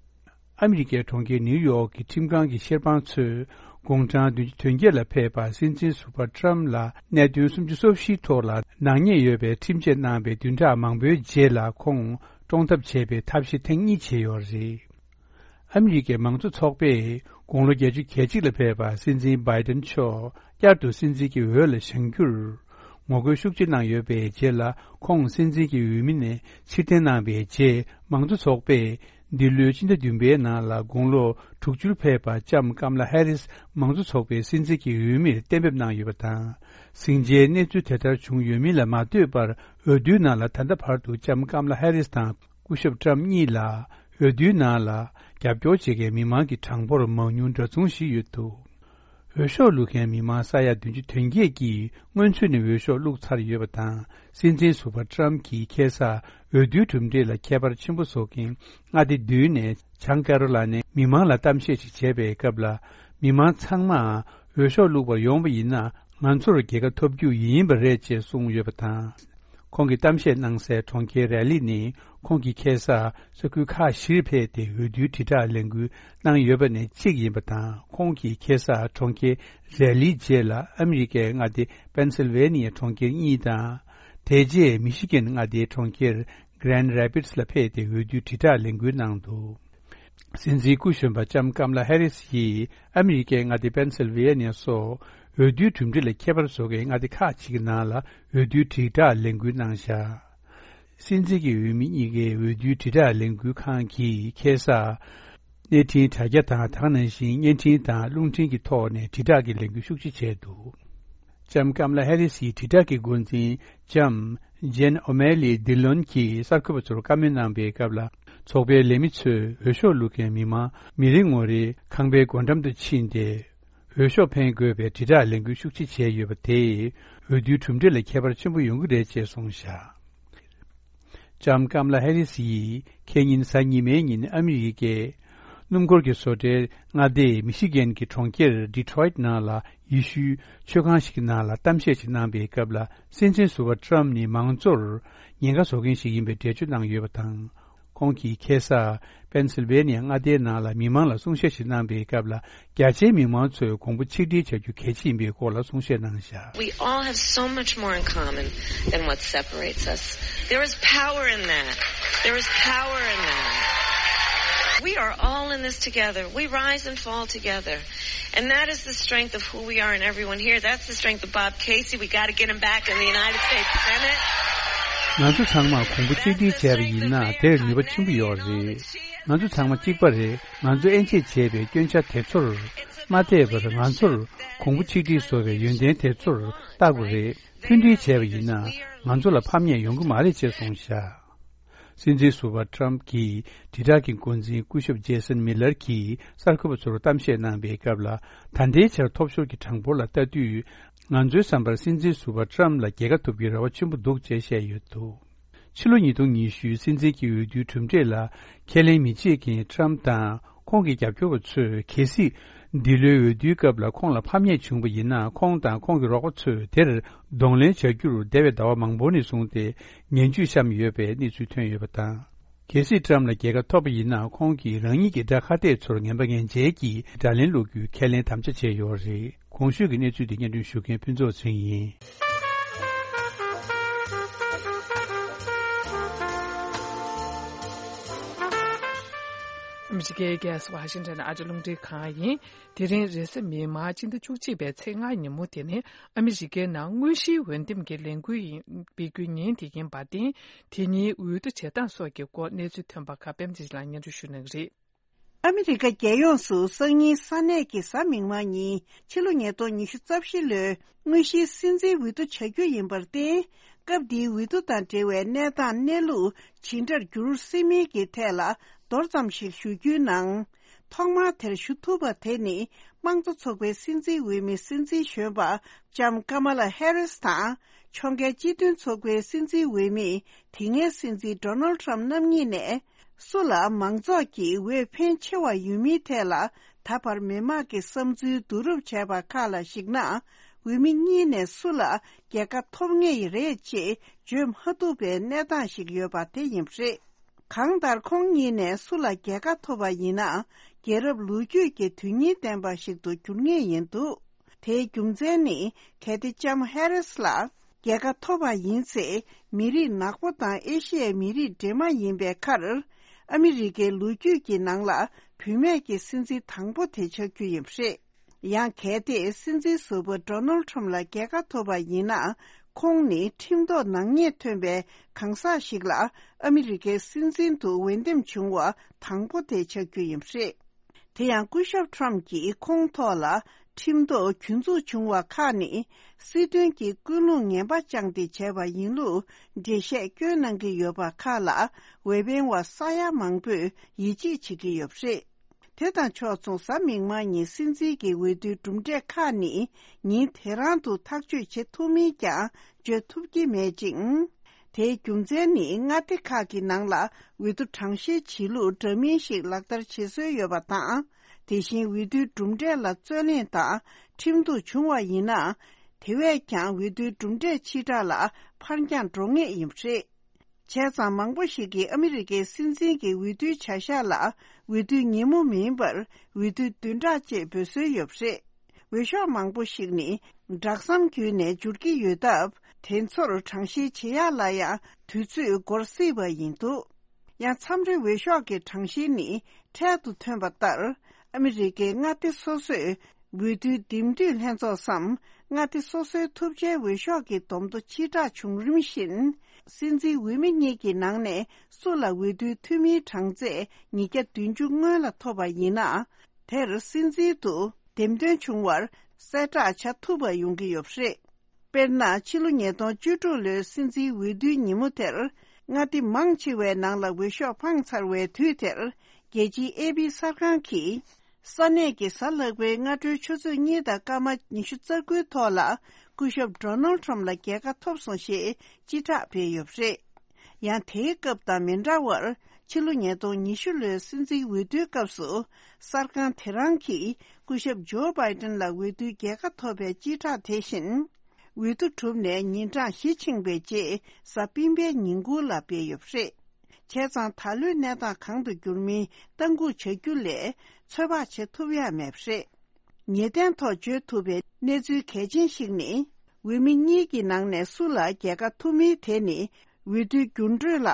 ཨ་མི་རི་ཀའི་གྲོང་ཁྱེར་ནིའུ་ཡོག་གི་ཁྲིམས་ཁང་གི་བཤེར་དཔང་ཚོས་དགུང་གྲངས་བདུན་ཅུ་དོན་བརྒྱད་ལ་ཕེབས་པ་སྲིད་འཛིན་ཟུར་པ་ཊམ་ལ་གནད་དོན་སུམ་ཅུ་སོ་བཞིའི་ཐོག་ལ་ནག་ཉེས་ཡོད་པའི་ཁྲིམས་ཆད་གནང་བའི་བདུན་ཕྲག་མང་པོའི་རྗེས་ལ་ཁོང་བཀྲོངས་ཐབས་བྱས་པའི་ཐབས་ཤེས་ཐེངས་གཉིས་བྱས་ཡོད་རེད། ཨ་མི་རི་ཀའི་མང་གཙོ་ཚོགས་པས་དགུང་ལོ་བརྒྱད་ཅུ་གྱ་གཅིག་ལ་ཕེབས་པ་སྲིད་འཛིན་བྷའི་ཏན་མཆོག་བསྐྱར་དུ་སྲིད་འཛིན་གྱི་འོས་ལ་བཞེངས་རྒྱུར་ངོ་རྒོལ་ཤུགས་ཆེ་གནང་ཡོད་པའི་རྗེས་ལ། ཁོང་སྲིད་འཛིན་གྱི་འོས་མི་ནས་ཕྱིར་འཐེན་གནང་བའི་རྗེས། མང་གཙོ་ཚོགས་པས་འདི་ལོའི་ཕྱི་ཟླ་བདུན་པའི་ནང་ལ་དགུང་ལོ་དྲུག་ཅུར་ཕེབས་པ་ལྕམ་ཀམ་ལ་ཧེ་རིས་མང་གཙོ་ཚོགས་པའི་སྲིད་འཛིན་གྱི་འོས་མིར་གཏན་འབེབས་གནང་ཡོད་པ་དང་། ཟིང་ཆའི་གནས་ཚུལ་དེ་ལྟར་བྱུང་ཡོད་མིན་ལ་མ་ལྟོས་པར། འོས་བསྡུའི་ནང་ལ་ད་ལྟ་བར་དུ་ལྕམ་ཀམ་ལ་ཧེ་རིས་དང་། སྐུ་ཞབས་ཊམ་གཉིས་ལ་འོས་བསྡུའི་ནང་ལ་རྒྱབ་སྐྱོར་བྱེད་མཁན་མི་མང་གི་གྲངས་འབོར་མང་ཉུང་འདྲ་མཚུངས་ཤིག་ཡོད་འདུག་འོས་ཤོག་བླུག་མཁན་མི་མང་ས་ཡ་བདུན་ཅུ་དོན་བརྒྱད་ཀྱིས་སྔོན་ཚུད་ནས་འོས་ཤོག་བླུགས་ཚར་ཡོད་པ་དང་། སྲིད་འཛིན་ཟུར་པ་ཊམ་གྱིས་ཁ་སང་འོས་བསྡུའི་གྲུབ་འབྲས་ལ་ཁྱད་པར་ཆེན་པོ་བཟོ་མཁན་མངའ་སྡེ་བདུན་ནས་བྱང་ཀེ་རོ་ལ་ནའི་མི་མང་ལ་གཏམ་བཤད་ཅིག་བྱས་པའི་སྐབས་ལ། མི་མང་ཚང་མ་འོས་ཤོག་བླུགས་པར་ཡོང་བ་ཡིན་ན། ང་ཚོར་རྒྱལ་ཁ་ཐོབ་རྒྱུ་ཡིན་པ་རེད་ཅེས་གསུངས་ཡོད་པ་དང་། ཁོང་གིས་གཏམ་བཤད་གནང་སའི་གྲོང་ཁྱེར་རེ་ལི་ནི། ཁོང་གིས་ཁ་སང་ས་ཁུལ་ཁག་བཞིར་ཕེབས་ཏེ་འོས་བསྡུའི་དྲིལ་བསྒྲགས་ལས་འགུལ་གནང་ཡོད་པ་ནས་གཅིག་ཡིན་པ་དང་། ཁོང་གིས་ཁ་སང་གྲོང་ཁྱེར་རེ་ལིའི་རྗེས་ལ་ཨ་མི་རི་ཀའི་མངའ་སྡེ་པེན་སིལ་ཝེ་ནི་ཡའི་གྲོང་ཁྱེར་གཉིས་དང་། དེ་རྗེས་མི་ཤི་གན་མངའ་སྡེའི་གྲོང་ཁྱེར་གྷི་རན་ཌི་རེ་པིཌ་སི་ལ་ཕེབས་ཏེ་འོས་བསྡུའི་དྲིལ་བསྒྲགས་ལས་འགུལ་གནང་འདུག་སྲིད་འཛིན་སྐུ་གཞོན་པ་ལྕམ་ཀམ་ལ་ཧེ་རིས་ཡིས་ཨ་མི་རི་ཀའི་མངའ་སྡེ་པེན་སིལ་ཝེ་ནི་ཡ་སོགས་འོས་བསྡུའི་གྲུབ་འབྲས་ལ་ཁྱད་པར་བཟོ་མཁན་མངའ་སྡེ་ཁག་ཅིག་གི་ནང་ལ་འོས་བསྡུའི་དྲིལ་བསྒྲགས་ལས་འགུལ་གནང་བཞག་སྲིད་འཛིན་གྱི་འོས་མི་གཉིས་ཀའི་འོས་བསྡུའི་དྲིལ་བསྒྲགས་ལས་འགུལ་ཁང་གིས་ཁ་སང་གནས་འཕྲིན་དྲ་རྒྱ་དང་། དེ་ནང་བཞིན་བརྙན་འཕྲིན་དང་རླུང་འཕྲིན་གྱི་ཐོག་ནས་དྲིལ་བསྒྲགས་ཀྱི་ལས་འགུལ་ཤུགས་ཆེ་བྱས་འདུག་ལྕམ་ཀམ་ལ་ཧེ་རི་སིའི་དྲིལ་བསྒྲགས་ཀྱི་འགོ་འཛིན་ལྕམ་ཇེན་ཨོ་མེ་ལི་ལྡི་ལོན་གྱིས་གསར་འགོད་པ་ཚོར་བཀའ་མོལ་གནང་པའི་སྐབས་ལ། ཚོགས་པའི་ལས་མི་ཚོས་འོས་ཤོག་བླུག་མཁན་མི་མང་མི་རེ་ངོ་རེའི་ཁང་པའི་སྒོ་འགྲམ་དུ་ཕྱིན་ཏེ། འོས་ཤོག་འཕེན་དགོས་པའི་དྲིལ་བསྒྲགས་ལས་འགུལ་ཤུགས་ཆེ་བྱས་ཡོད་པ་དེས་འོས་བསྡུའི་གྲུབ་འབྲས་ལ་ཁྱད་པར་ཆེན་པོ་ཡོང་གི་རེད་ཅེས་གསུངས་བཞག་ལྕམ་ཀམ་ལ་ཧེ་རི་སི་ཡིས་ཁེ་ཉིན་གཟའ་ཉི་མའི་ཉིན་ཨ་མི་རི་ཀའི་སྣུམ་འཁོར་གྱི་བཟོ་གྲྭའི་མངའ་སྡེ་མི་ཤི་གན་གྱི་གྲོང་ཁྱེར་ཌི་ཊོ་རོའིཊ་ནང་ལ་ཡེ་ཤུའི་མཆོད་ཁང་ཞིག་གི་ནང་ལ་གཏམ་བཤད་ཅིག་གནང་པའི་སྐབས་ལ། སྲིད་འཛིན་ཟུར་པ་ཊམ་ནི་མང་གཙོར་ཉེན་ཁ་བཟོ་མཁན་ཞིག་ཡིན་པའི་འགྲེལ་བརྗོད་གནང་ཡོད་པ་དང་། ཁོང་གིས་ཁ་སང་པེན་སིལ་ཝེ་ནི་ཡ་མངའ་སྡེའི་ནང་ལ་མི་མང་ལ་གསུང་བཤད་ཞིག་གནང་པའི་སྐབས་ལ། རྒྱ་ཆེའི་མི་མང་ཚོས་གོང་བུ་ཆིག་སྒྲིལ་བྱ་རྒྱུ་གལ་ཆེ་ཡིན་པའི་སྐོར་ལ་གསུང་བཤད་གནང་བཞག We all have so much more in common than what separates us. There is power in that. There is power in that. We are all in this together. We rise and fall together. And that is the strength of who we are and everyone here. That's the strength of Bob Casey. We got to get him back in the United States Senate. ང་ཚོ་ཚང་མ་གོང་བུ་གཅིག་སྒྲིལ་བྱས་པ་ཡིན་ན་དེར་ནུས་པ་ཆེན་པོ་ཡོད་རེད། ང་ཚོ་ཚང་མ་གཅིག་པ་རེད། ང་ཚོ་དབྱེ་འབྱེད་བྱས་པའི་སྐྱོན་ཆ་དེ་ཚོར་མ་བལྟས་པར་ང་ཚོར་གོང་བུ་གཅིག་སྒྲིལ་བཟོ་བའི་ཡོན་ཏན་དེ་ཚོར་བལྟ་དགོས་རེད། མཐུན་སྒྲིལ་བྱས་པ་ཡིན་ན་ང་ཚོ་ལ་ཕམ་ཉེས་ཡོང་གི་མ་རེད་ཅེས་གསུངས་བཞག་སྲིད་འཛིན་ཟུར་པ་ཊམ་གྱི་དྲིལ་བསྒྲགས་ཀྱི་འགོ་འཛིན་སྐུ་ཞབས་ཇེ་སན་མི་ལར་གྱིས་གསར་འགོད་པ་ཚོར་གཏམ་བཤད་གནང་པའི་སྐབས་ལ། ད་ལྟའི་ཆར་ཐོབ་ཤོར་གྱི་གྲངས་འབོར་ལ་ལྟ་དུས། ང་ཚོའི་བསམ་པར་སྲིད་འཛིན་ཟུར་པ་ཊམ་ལ་རྒྱལ་ཁ་ཐོབ་རྒྱུའི་རེ་བ་ཆེན་པོ་འདུག་ཅེས་བཤད་ཡོད་འདུག་ཕྱི་ལོ་ཉིས་སྟོང་ཉི་ཤུའི་སྲིད་འཛིན་གྱི་འོས་བསྡུའི་གྲུབ་འབྲས་ལ་ཁས་ལེན་མི་བྱེད་མཁན་ཊམ་དང་ཁོང་གི་རྒྱབ་སྐྱོར་བ་ཚོས། གལ་སྲིད་འདི་ལོའི་འོས་བསྡུའི་སྐབས་ལ་ཁོང་ལ་ཕམ་ཉེས་བྱུང་བ་ཡིན་ན། ཁོང་དང་ཁོང་གི་རོགས་པ་ཚོས་དེར་གདོང་ལེན་བྱ་རྒྱུར་འདས་པའི་ཟླ་བ་མང་པོ་ནས་བཟུང་སྟེ་ངན་ཇུས་བཤམས་ཡོད་པའི་གནས་ཚུལ་ཐོན་ཡོད་པ་དང་། གལ་སྲིད་ཊམ་ལ་རྒྱལ་ཁ་ཐོབ་པ་ཡིན་ན། ཁོང་གིས་རང་ཉིད་ཀྱི་དགྲ་ཁ་གཏད་ཚོར་ངན་པ་ངན་འཇལ་གྱིས་དགྲ་ལན་སློག་རྒྱུའི་ཁས་ལེན་དམ་བཅའ་བྱས་ཡོད་རེད། གོང་ཞུས་ཀྱི་གནས་ཚུལ་འདི་སྙན་སྒྲོན་ཞུ་མཁན་ཕུན་ཚོགས་ཚེ་རིང་ཡིན། ཨ་མི་རི་ཀའི་རྒྱལ་ས་ཝ་ཤིང་ཊོན་ཨ་རི་རླུང་འཕྲིན་ཁང་ཡིན། དེ་རིང་རེས་གཟའ་མིག་དམར་སྤྱི་ཟླ་བཅུ་གཅིག་པའི་ཚེས་ལྔ་ཉིན་མོ་དེ་ནི་ཨ་མི་རི་ཀའི་ནང་དངོས་གཞིའི་འོས་འདེམས་ཀྱི་ལས་འགུལ་ཡིན་སྤེལ་རྒྱུའི་ཉིན་དེ་ཡིན་པར་བརྟེན། དེ་ཉིན་འོས་བསྡུ་བྱེད་སྟངས་སོགས་ཀྱི་སྐོར་གནས་ཚུལ་ཐོན་པ་ཁག་པད་མ་བདེ་ཆེན་ལགས་སྙན་སྒྲོན་ཞུ་གནང་གི་རེད། ཨ་མི་རི་ཀ་རྒྱལ་ཡོངས་སུ་སང་ཉིན་ས་གནས་ཀྱི་གཟའ་མིག་དམར་ཉིན་ཕྱི་ལོ་ཉིས་སྟོང་ཉི་ཤུ་རྩ་བཞི་ལོའི་དངོས་གཞིའི་སྲིད་འཛིན་འོས་བསྡུ་བྱ་རྒྱུ་ཡིན་པར་བརྟེན། སྐབས་འདིའི་འོས་བསྡུ་དང་འབྲེལ་བའི་གནས་སྟངས་གནས་ལུགས་ཇི་འདྲར་འགྱུར་སྲིད་མིན་གྱི་ཐད་ལ་མདོར་ཙམ་ཞིག་ཞུ་རྒྱུའི་ནང་། ཐོག་མར་དེར་ཞུ་ཐུབ་པ་དེ་ནི་དམངས་གཙོ་ཚོགས་པའི་སྲིད་འཛིན་འོས་མི་སྲིད་འཛིན་གཞོན་པ་ལྕམ་ཀ་མ་ལ་ཧེ་རིས་དང་། ཕྱོགས་འགལ་སྤྱི་མཐུན་ཚོགས་པའི་སྲིད་འཛིན་འོས་མི་དེ་སྔའི་སྲིད་འཛིན་ཌོ་ནལ་ཊམ་རྣམ་གཉིས་ནས། སུ་ལ་མང་ཚོགས་ཀྱིས་འོས་འཕེན་ཆེ་བ་ཡོད་མིན་ཐད་ལ་ད་བར་མི་མང་གི་བསམ་ཚུལ་བསྡུ་རུབ་བྱས་པ་ཁག་ལ་གཞིགས་ན། འོས་མི་གཉིས་ནས་སུ་ལ་རྒྱལ་ཁ་ཐོབ་ངེས་རེད་ཅེས་བརྗོད་མ་ཐུབ་པའི་གནས་སྟངས་ཤིག་ཡོད་པ་དེ་ཡིན་པ་རེད། གང་ལྟར་ཁོང་གཉིས་ནས་སུ་ལ་རྒྱལ་ཁ་ཐོབ་པ་ཡིན་ན། རྒྱལ་རབས་ལོ་རྒྱུས་ཀྱི་དོན་སྙིང་ལྡན་པ་ཞིག་ཏུ་འགྱུར་ངེས་ཡིན་འདུག་དེའི་རྒྱུ་མཚན་ནི། གལ་ཏེ་ལྕམ་ཧེ་རིས་ལ་རྒྱལ་ཁ་ཐོབ་པ་ཡིན་ཚེ། མི་རིགས་ནག་པོ་དང་ཨེ་ཤི་ཡའི་མི་རིགས་འདྲེས་མ་ཡིན་པའི་ཁར། ཨ་མི་རི་ཀའི་ལོ་རྒྱུས་ཀྱི་ནང་ལ་བུད་མེད་ཀྱི་སྲིད་འཛིན་དང་པོ་དེ་ཆགས་རྒྱུ་ཡིན་པ་རེད། ཡང་གལ་ཏེ་སྲིད་འཛིན་ཟུར་པ་ཌོ་ནལ་ཊམ་ལ་རྒྱལ་ཁ་ཐོབ་པ་ཡིན་ན། ཁོང་ནི་ཁྲིམས་ཐོག་ནག་ཉེས་ཐོན་པའི་གང་ཟག་ཞིག་ལ་ཨ་མི་རི་ཀའི་སྲིད་འཛིན་དུ་འོས་འདེམས་བྱུང་བ་དང་པོ་དེ་ཆགས་རྒྱུ་ཡིན་པ་རེད། དེ་ཡང་སྐུ་ཞབས་ཊམ་གྱིས་ཁོང་ཐོག་ལ་ཁྲིམས་ཐོག་གྱོད་འཛུགས་བྱུང་བ་ཁག་ནི་སྲིད་དོན་གྱི་ཀུན་སློང་ངན་པ་བཅངས་ཏེ་བྱས་པ་ཡིན་ལུགས་འགྲེལ་བཤད་བསྐྱོན་གནང་གི་ཡོད་པ་ཁག་ལ་འོས་འཕེན་བ་ས་ཡ་མང་པོས་ཡིད་ཆེས་བྱེད་ཀྱི་ཡོད་པ་རེད། དེ་དང་ཕྱོགས་མཚུངས་གཟའ་མིག་དམར་ཉིན་སྲིད་འཛིན་གྱི་འོས་བསྡུའི་གྲུབ་འབྲས་ཁག་ནི་ཉིན་དེ་རང་དུ་ཐག་གཅོད་བྱེད་ཐུབ་མིན་ཀྱང་བརྗོད་ཐུབ་ཀྱི་མེད་ཅིང་། དེའི་རྒྱུ་མཚན་ནི་མངའ་སྡེ་ཁག་གི་ནང་ལ་འོས་བསྡུ་གྲངས་བཤེར་བྱེད་ལུགས་འདྲ་མིན་ཞིག་ལག་བསྟར་བྱེད་སྲོལ་ཡོད་པ་དང་། དེ་བཞིན་འོས་བསྡུའི་གྲུབ་འབྲས་ལ་རྩོད་གླེང་དང་ཁྲིམས་གཏུག་བྱུང་བ་ཡིན་ན། དེ་བས་ཀྱང་འོས་བསྡུའི་གྲུབ་འབྲས་ཕྱི་དྲགས་ལ་ཕར་འགྱངས་འགྲོ་ངེས་ཡིན་པ་རེད། བྱས་ཙང་མང་པོ་ཞིག་གིས་ཨ་མི་རི་ཀའི་སྲིད་འཛིན་གྱི་འོས་བསྡུའི་བྱ་གཞག་ལ་འོས་བསྡུའི་ཉིན་མོ་མིན་པར་འོས་བསྡུའི་བདུན་ཕྲག་ཅེས་འབོད་སྲོལ་ཡོད་པ་རེད། འོས་ཤོག་མང་པོ་ཞིག་ནི་སྦྲག་མཚམས་བརྒྱུད་ནས་འབྱོར་གྱི་ཡོད་སྟབས། དེ་ཚོར་གྲངས་བཤེར་བྱེད་ཡག་ལ་ཡང་དུས་ཚོད་འགོར་སྲིད་པ་ཡིན་འདུག་ཡང་མཚམས་རེ་འོས་ཤོག་གི་གྲངས་བཤེར་ནི་འཕྲལ་དུ་ཐོན་པ་ལྟར། ཨ་མི་རི་ཀའི་མངའ་སྡེ་སོ་སོས་འོས་བསྡུའི་འདེམས་སྡུད་ལྷན་ཚོགས་སམ། མངའ་སྡེ་སོ་སོའི་ཐུབ་ཆའི་འོས་ཤོག་གི་བསྡོམས་ཐོ་ཕྱིར་བསྒྲགས་བྱུང་རིམ་བཞིན། སྲིད་འཛིན་འོས་མི་གཉིས་ཀྱི་ནང་ནས་སུ་ལ་འོས་བསྡུའི་འཐུས་མིའི་གྲངས་ཚད་ཉིས་བརྒྱ་བདུན་ཅུ་སྔོན་ལ་ཐོབ་པ་ཡིན་ན། དེར་སྲིད་འཛིན་དུ་འདེམས་ཐོན་བྱུང་བར་གསལ་བསྒྲགས་བྱ་ཐུབ་པ་ཡོང་གི་ཡོད་པ་རེད། དཔེར་ན། ཕྱི་ལོ་ཉིས་སྟོང་བཅུ་དྲུག་ལོའི་སྲིད་འཛིན་འོས་བསྡུའི་ཉིན་མོ་དེར། མངའ་སྡེ་མང་ཆེ་བའི་ནང་ལ་འོས་ཤོག་འཕངས་ཚར་བའི་དུས་དེར། རྒྱལ་སྤྱིའི་ཨེ་པི་གསར་ཁང་གིས། ས་གནས་ཀྱི་གཟའ་ལྷག་པའི་སྔ་དྲོའི་ཆུ་ཚོད་གཉིས་དང་སྐར་མ་ཉི་ཤུ་རྩ་དགུའི་ཐོག་ལ། སྐུ་ཞབས་Donald Trump ལ་རྒྱལ་ཁ་ཐོབ་སོང་ཞེས་སྤྱི་བསྒྲགས་སྤེལ་ཡོད་པ་རེད། ཡང་དེའི་སྐབས་དང་མི་འདྲ་བར། ཕྱི་ལོ་ཉིས་སྟོང་ཉི་ཤུ་ལོའི་སྲིད་འཛིན་འོས་བསྡུའི་སྐབས་སུ། གསར་ཁང་དེ་རང་གིས་སྐུ་ཞབས་Joe Biden ལ་འོས་བསྡུའི་རྒྱལ་ཁ་ཐོབ་པའི་སྤྱི་བསྒྲགས་དེ་བཞིན། འོས་བསྡུ་གྲུབ་ནས་ཉིན་གྲངས་བཞི་ཕྱིན་པའི་རྗེས། གཟའ་སྤེན་པའི་ཉིན་གུང་ལ་སྤེལ་ཡོད་པ་རེད། བྱས་ཙང་། ད་ལོའི་གནས་སྟངས་གང་དུ་འགྱུར་མིན་ལྟ་སྐུལ་བྱ་རྒྱུ་ལས། ཚོད་དཔག་བྱེད་ཐུབ་ཡ་མེད་པ་རེད། ངེས་གཏན་ཐོག་བརྗོད་ཐུབ་པའི་གནས་ཚུལ་གལ་ཆེན་ཞིག་ནི། འོས་མི་གཉིས་ཀྱི་ནང་ནས་སུ་ལ་རྒྱལ་ཁ་ཐོབ་མིན་དེ་ནི། འོས་བསྡུའི་འགྱུར་འགྲོས་ལ་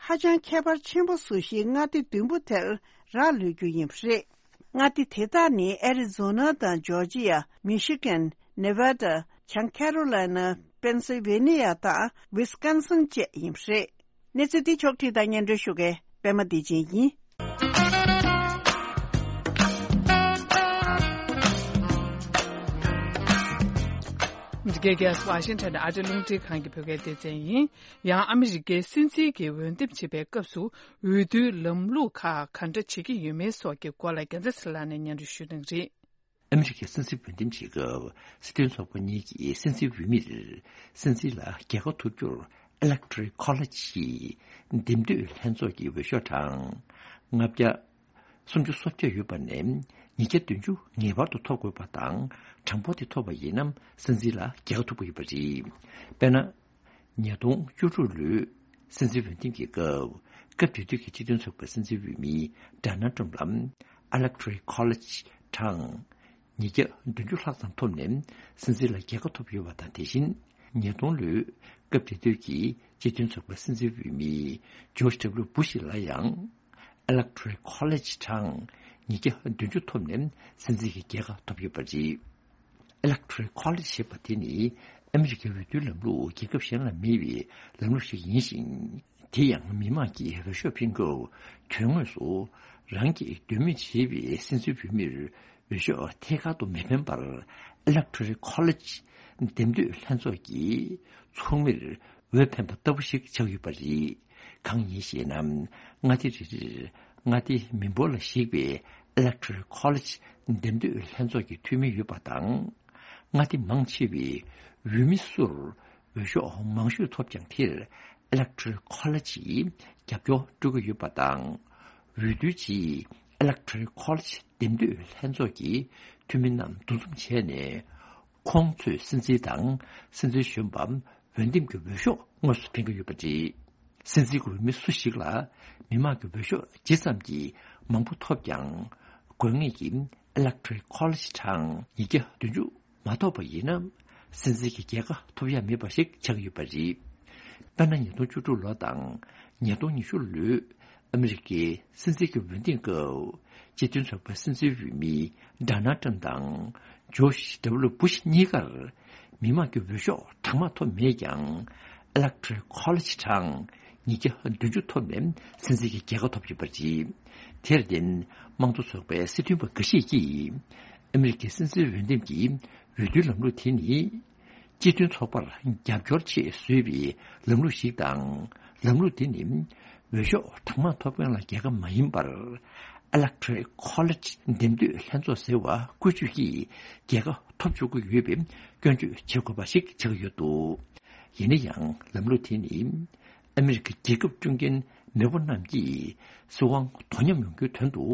ཧ་ཅང་ཁྱད་པར་ཆེན་པོ་བཟོ་གཞིའི་མངའ་སྡེ་བདུན་པོ་དེར་རག་ལུས་རྒྱུ་ཡིན་པ་རེད། མངའ་སྡེ་དེ་དག་ནི། ཨེ་རི་ཛོ་ན་དང་ཇོར་ཇི་ཡ། མི་ཤི་གན། ནེ་ཝ་ཌ། བྱང་ཁེ་རོ་ལའི་ན། པེན་སིལ་ཝེ་ནི་ཡ་དང་ཝི་སི་ཀོན་སིན་བཅས་ཡིན་པ་རེད། གནས་ཚུལ་འདི་ཕྱོགས་བསྒྲིགས་དང་སྙན་སྒྲོན་ཞུ་མཁན་པད་མ་བདེ་ཆེན་ཡིན། འདི་གའི་རྒྱལ་ས་ཝ་ཤིང་ཊོན་ཨ་རིའི་རླུང་འཕྲིན་ཁང་གི་བོད་སྐད་སྡེ་ཚན་ཡིན། ཡང་ཨ་མི་རི་ཀའི་སྲིད་འཛིན་གྱི་འོས་འདེམས་བྱེད་པའི་སྐབས་སུ། འོས་བསྡུའི་ལམ་ལུགས་ཁག་ག་འདྲ་བྱེད་ཀྱི་ཡོད་མེད་སོགས་ཀྱི་སྐོར་ལ་རྒྱལ་མཚན་ཚེ་ལགས་ནས་སྙན་སྒྲོན་ཞུ་གནང་གི་རེད། ཨ་མི་རི་ཀའི་སྲིད་འཛིན་འོས་འདེམས་བྱེད་སྐབས། སྲིད་དོན་ཚོགས་པ་གཉིས་ཀྱིས་སྲིད་འཛིན་འོས་མིར་སྲིད་འཛིན་ལ་རྒྱལ་ཁ་ཐོབ་རྒྱུར། Electoral College ཡི་འདེམས་ཐོན་ལྷན་ཚོགས་ཀྱི་འོས་ཤོག་གྲངས་ལྔ་བརྒྱ་སུམ་ཅུ་སོ་བརྒྱད་ཡོད་པ་ནས། ཉིས་བརྒྱ་བདུན་ཅུ་ངེས་པར་དུ་ཐོབ་དགོས་པ་དང་། གྲངས་འབོར་དེ་ཐོབ་པ་ཡིན་ན་སྲིད་འཛིན་ལ་རྒྱལ་ཁ་ཐོབ་ཀྱི་ཡོད་པ་རེད། དཔེར་ན། ཉིས་སྟོང་བཅུ་དྲུག་ལོའི་སྲིད་འཛིན་འོས་འདེམས་ཀྱི་སྐབས། སྐབས་དེ་དུས་ཀྱི་སྤྱི་མཐུན་ཚོགས་པའི་སྲིད་འཛིན་འོས་མི་Donald Trump ལ་Electoral College གྲངས་ཉིས་བརྒྱ་བདུན་ཅུ་ལྷག་ཙམ་ཐོབ་ནས་སྲིད་འཛིན་ལ་རྒྱལ་ཁ་ཐོབ་ཡོད་པ་དང་། དེ་བཞིན་ཉིས་སྟོང་ལོའི་སྐབས་དེ་དུས་ཀྱི་སྤྱི་མཐུན་ཚོགས་པའི་སྲིད་འཛིན་འོས་མི་George W Bush ལ་ཡང་Electoral College གྲངས་ཉིས་བརྒྱ་བདུན་ཅུ་ཐོབ་ནས་སྲིད་འཛིན་གྱི་རྒྱལ་ཁ་ཐོབ་ཡོད་པ་རེད། Electoral College ཞེས་པ་དེ་ནི་ཨ་མི་རི་ཀའི་འོས་བསྡུའི་ལམ་ལུགས་རྒྱལ་ཁབ་གཞན་ལ་མེད་པའི་ལམ་ལུགས་ཤིག་ཡིན་ཞིང་། དེ་ཡང་མི་མང་གིས་འོས་ཤོག་འཕེན་སྐབས་དོན་དངོས་སུ་རང་གིས་འདོད་མོས་བྱེད་པའི་སྲིད་འཛིན་འོས་མིར་འོས་ཤོག་ཐད་ཀར་དུ་མི་འཕེན་པར། Electoral College འདེམས་ཐོན་ལྷན་ཚོགས་ཀྱི་ཚོགས་མིར་འོས་འཕེན་པ་ལྟ་བུ་ཞིག་ཆགས་ཡོད་པ་རེད། གང་ཡིན་ཞེ་ན། མངའ་སྡེ་རེ་རེར་མངའ་སྡེ་མི་འབོར་ལ་གཞིགས་པའི་Electoral College འདེམས་ཐོན་ལྷན་ཚོགས་ཀྱི་འཐུས་མི་ཡོད་པ་དང་། མངའ་སྡེ་མང་ཆེ་བའི་འོས་མི་སུར་འོས་ཤོག་མང་ཤོས་ཐོབ་ཀྱང་། དེར་Electoral College ཡིས་རྒྱབ་སྐྱོར་སྤྲོད་ཀྱི་ཡོད་པ་དང་། འོས་བསྡུའི་རྗེས་Electoral College འདེམས་ཐོན་ལྷན་ཚོགས་ཀྱི་འཐུས་མི་རྣམས་འདུ་འཛོམས་བྱས་ནས། ཁོང་ཚོས་སྲིད་འཛིན་དང་སྲིད་འཛིན་གཞོན་པ་འོས་འདེམས་ཀྱི་འོས་ཤོག་དངོས་སུ་འཕེན་གྱི་ཡོད་པ་རེད། སྲིད་འཛིན་གྱི་འོས་མི་སུ་ཞིག་ལ་མི་མང་གི་འོས་ཤོག་ཇི་ཙམ་གྱིས་མང་པོ་ཐོབ་ཀྱང་། དགོས་ངེས་ཀྱི་Electoral College གྲངས་ཉིས་བརྒྱ་བདུན་ཅུ་མ་ཐོབ་པ་ཡིན་ན། སྲིད་འཛིན་གྱི་རྒྱལ་ཁ་ཐོབ་ཡ་མེད་པ་ཞིག་ཆགས་ཀྱི་ཡོད་པ་རེད། དཔེར་ན། ཉིས་སྟོང་བཅུ་དྲུག་ལོ་དང་ཉིས་སྟོང་ཉི་ཤུ་ལོའི་ཨ་མི་རི་ཀའི་སྲིད་འཛིན་གྱི་འོས་འདེམས་སྐབས། སྤྱི་མཐུན་ཚོགས་པའི་སྲིད་འཛིན་འོས་མི་Donald Trump དང་George W Bush གཉིས་ཀར་མི་མང་གི་འོས་ཤོག་གྲངས་མང་ཐོབ་མེད་ཀྱང་། Electoral College གྲངས་ཉིས་བརྒྱ་བདུན་ཅུ་ཐོབ་ནས་སྲིད་འཛིན་གྱི་རྒྱལ་ཁ་ཐོབ་ཡོད་པ་རེད། དེར་བརྟེན། དམངས་གཙོ་ཚོགས་པའི་སྲིད་དོན་པ་འགའ་ཤས་ཀྱིས། ཨ་མི་རི་ཀའི་སྲིད་འཛིན་འོས་འདེམས་ཀྱི་འོས་བསྡུའི་ལམ་ལུགས་དེ་ནི། སྤྱི་མཐུན་ཚོགས་པར་རྒྱབ་སྐྱོར་ཆེད་བཟོས་པའི་ལམ་ལུགས་ཤིག་དང་། ལམ་ལུགས་དེ་ནི། འོས་ཤོག་གྲངས་མང་ཐོབ་མཁན་ལ་རྒྱལ་ཁ་མ་ཡིན་པར། Electoral College འདེམས་ཐོན་ལྷན་ཚོགས་ཟེར་བ་བཀོལ་སྤྱོད་ཀྱིས་རྒྱལ་ཁ་ཐོབ་ཆོག་གི་ཡོད་པའི་སྐྱོན་བརྗོད་བྱེད་དགོས་པ་ཞིག་ཆགས་ཡོད་འདུག་ཡིན་ན་ཡང་། ལམ་ལུགས་དེ་ནི། ཨ་མི་རི་ཀའི་རྒྱལ་ཁབ་སྐྱོང་མཁན་མེས་པོ་རྣམས་ཀྱིས་སྲིད་དབང་དོ་མཉམ་ཡོང་རྒྱུའི་དོན་དུ།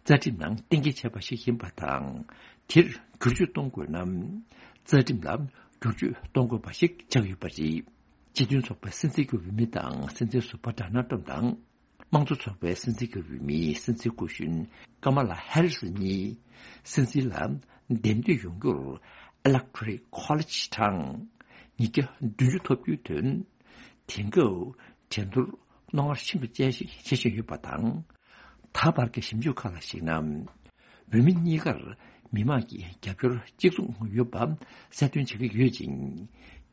རྩ་ཁྲིམས་ནང་གཏན་འཁེལ་བྱས་པ་ཞིག་ཡིན་པ་དང་། དེར་བསྒྱུར་བཅོས་གཏོང་དགོས་ན། རྩ་ཁྲིམས་ལ་བསྒྱུར་བཅོས་གཏོང་དགོས་པ་ཞིག་ཆགས་ཡོད་པ་རེད། སྤྱི་མཐུན་ཚོགས་པའི་སྲིད་འཛིན་གྱི་འོས་མི་དང་སྲིད་འཛིན་ཟུར་པ་Donald Trump དང་། དམངས་གཙོ་ཚོགས་པའི་སྲིད་འཛིན་གྱི་འོས་མི་སྲིད་འཛིན་སྐུ་གཞོན་Kamala Harris གཉིས་སྲིད་འཛིན་ལ་འདེམས་ཐོན་ཡོང་རྒྱུར། Electoral College གྲངས་ཉིས་བརྒྱ་བདུན་ཅུ་ཐོབ་རྒྱུའི་དོན། དེང་སྐབས་འགྲན་བསྡུར་རྣོ་ངར་ཆེན་པོ་ཅན་ཞིག་བྱེད་བཞིན་ཡོད་པ་དང་། ད་བར་གྱི་ཞིབ་འཇུག་ཁག་ལ་གཞིགས་ན། འོས་མི་གཉིས་ཀར་མི་མང་གི་རྒྱབ་སྐྱོར་གཅིག་མཚུངས་ཡོད་པ་གསལ་སྟོན་བྱེད་ཀྱི་ཡོད་ཅིང་།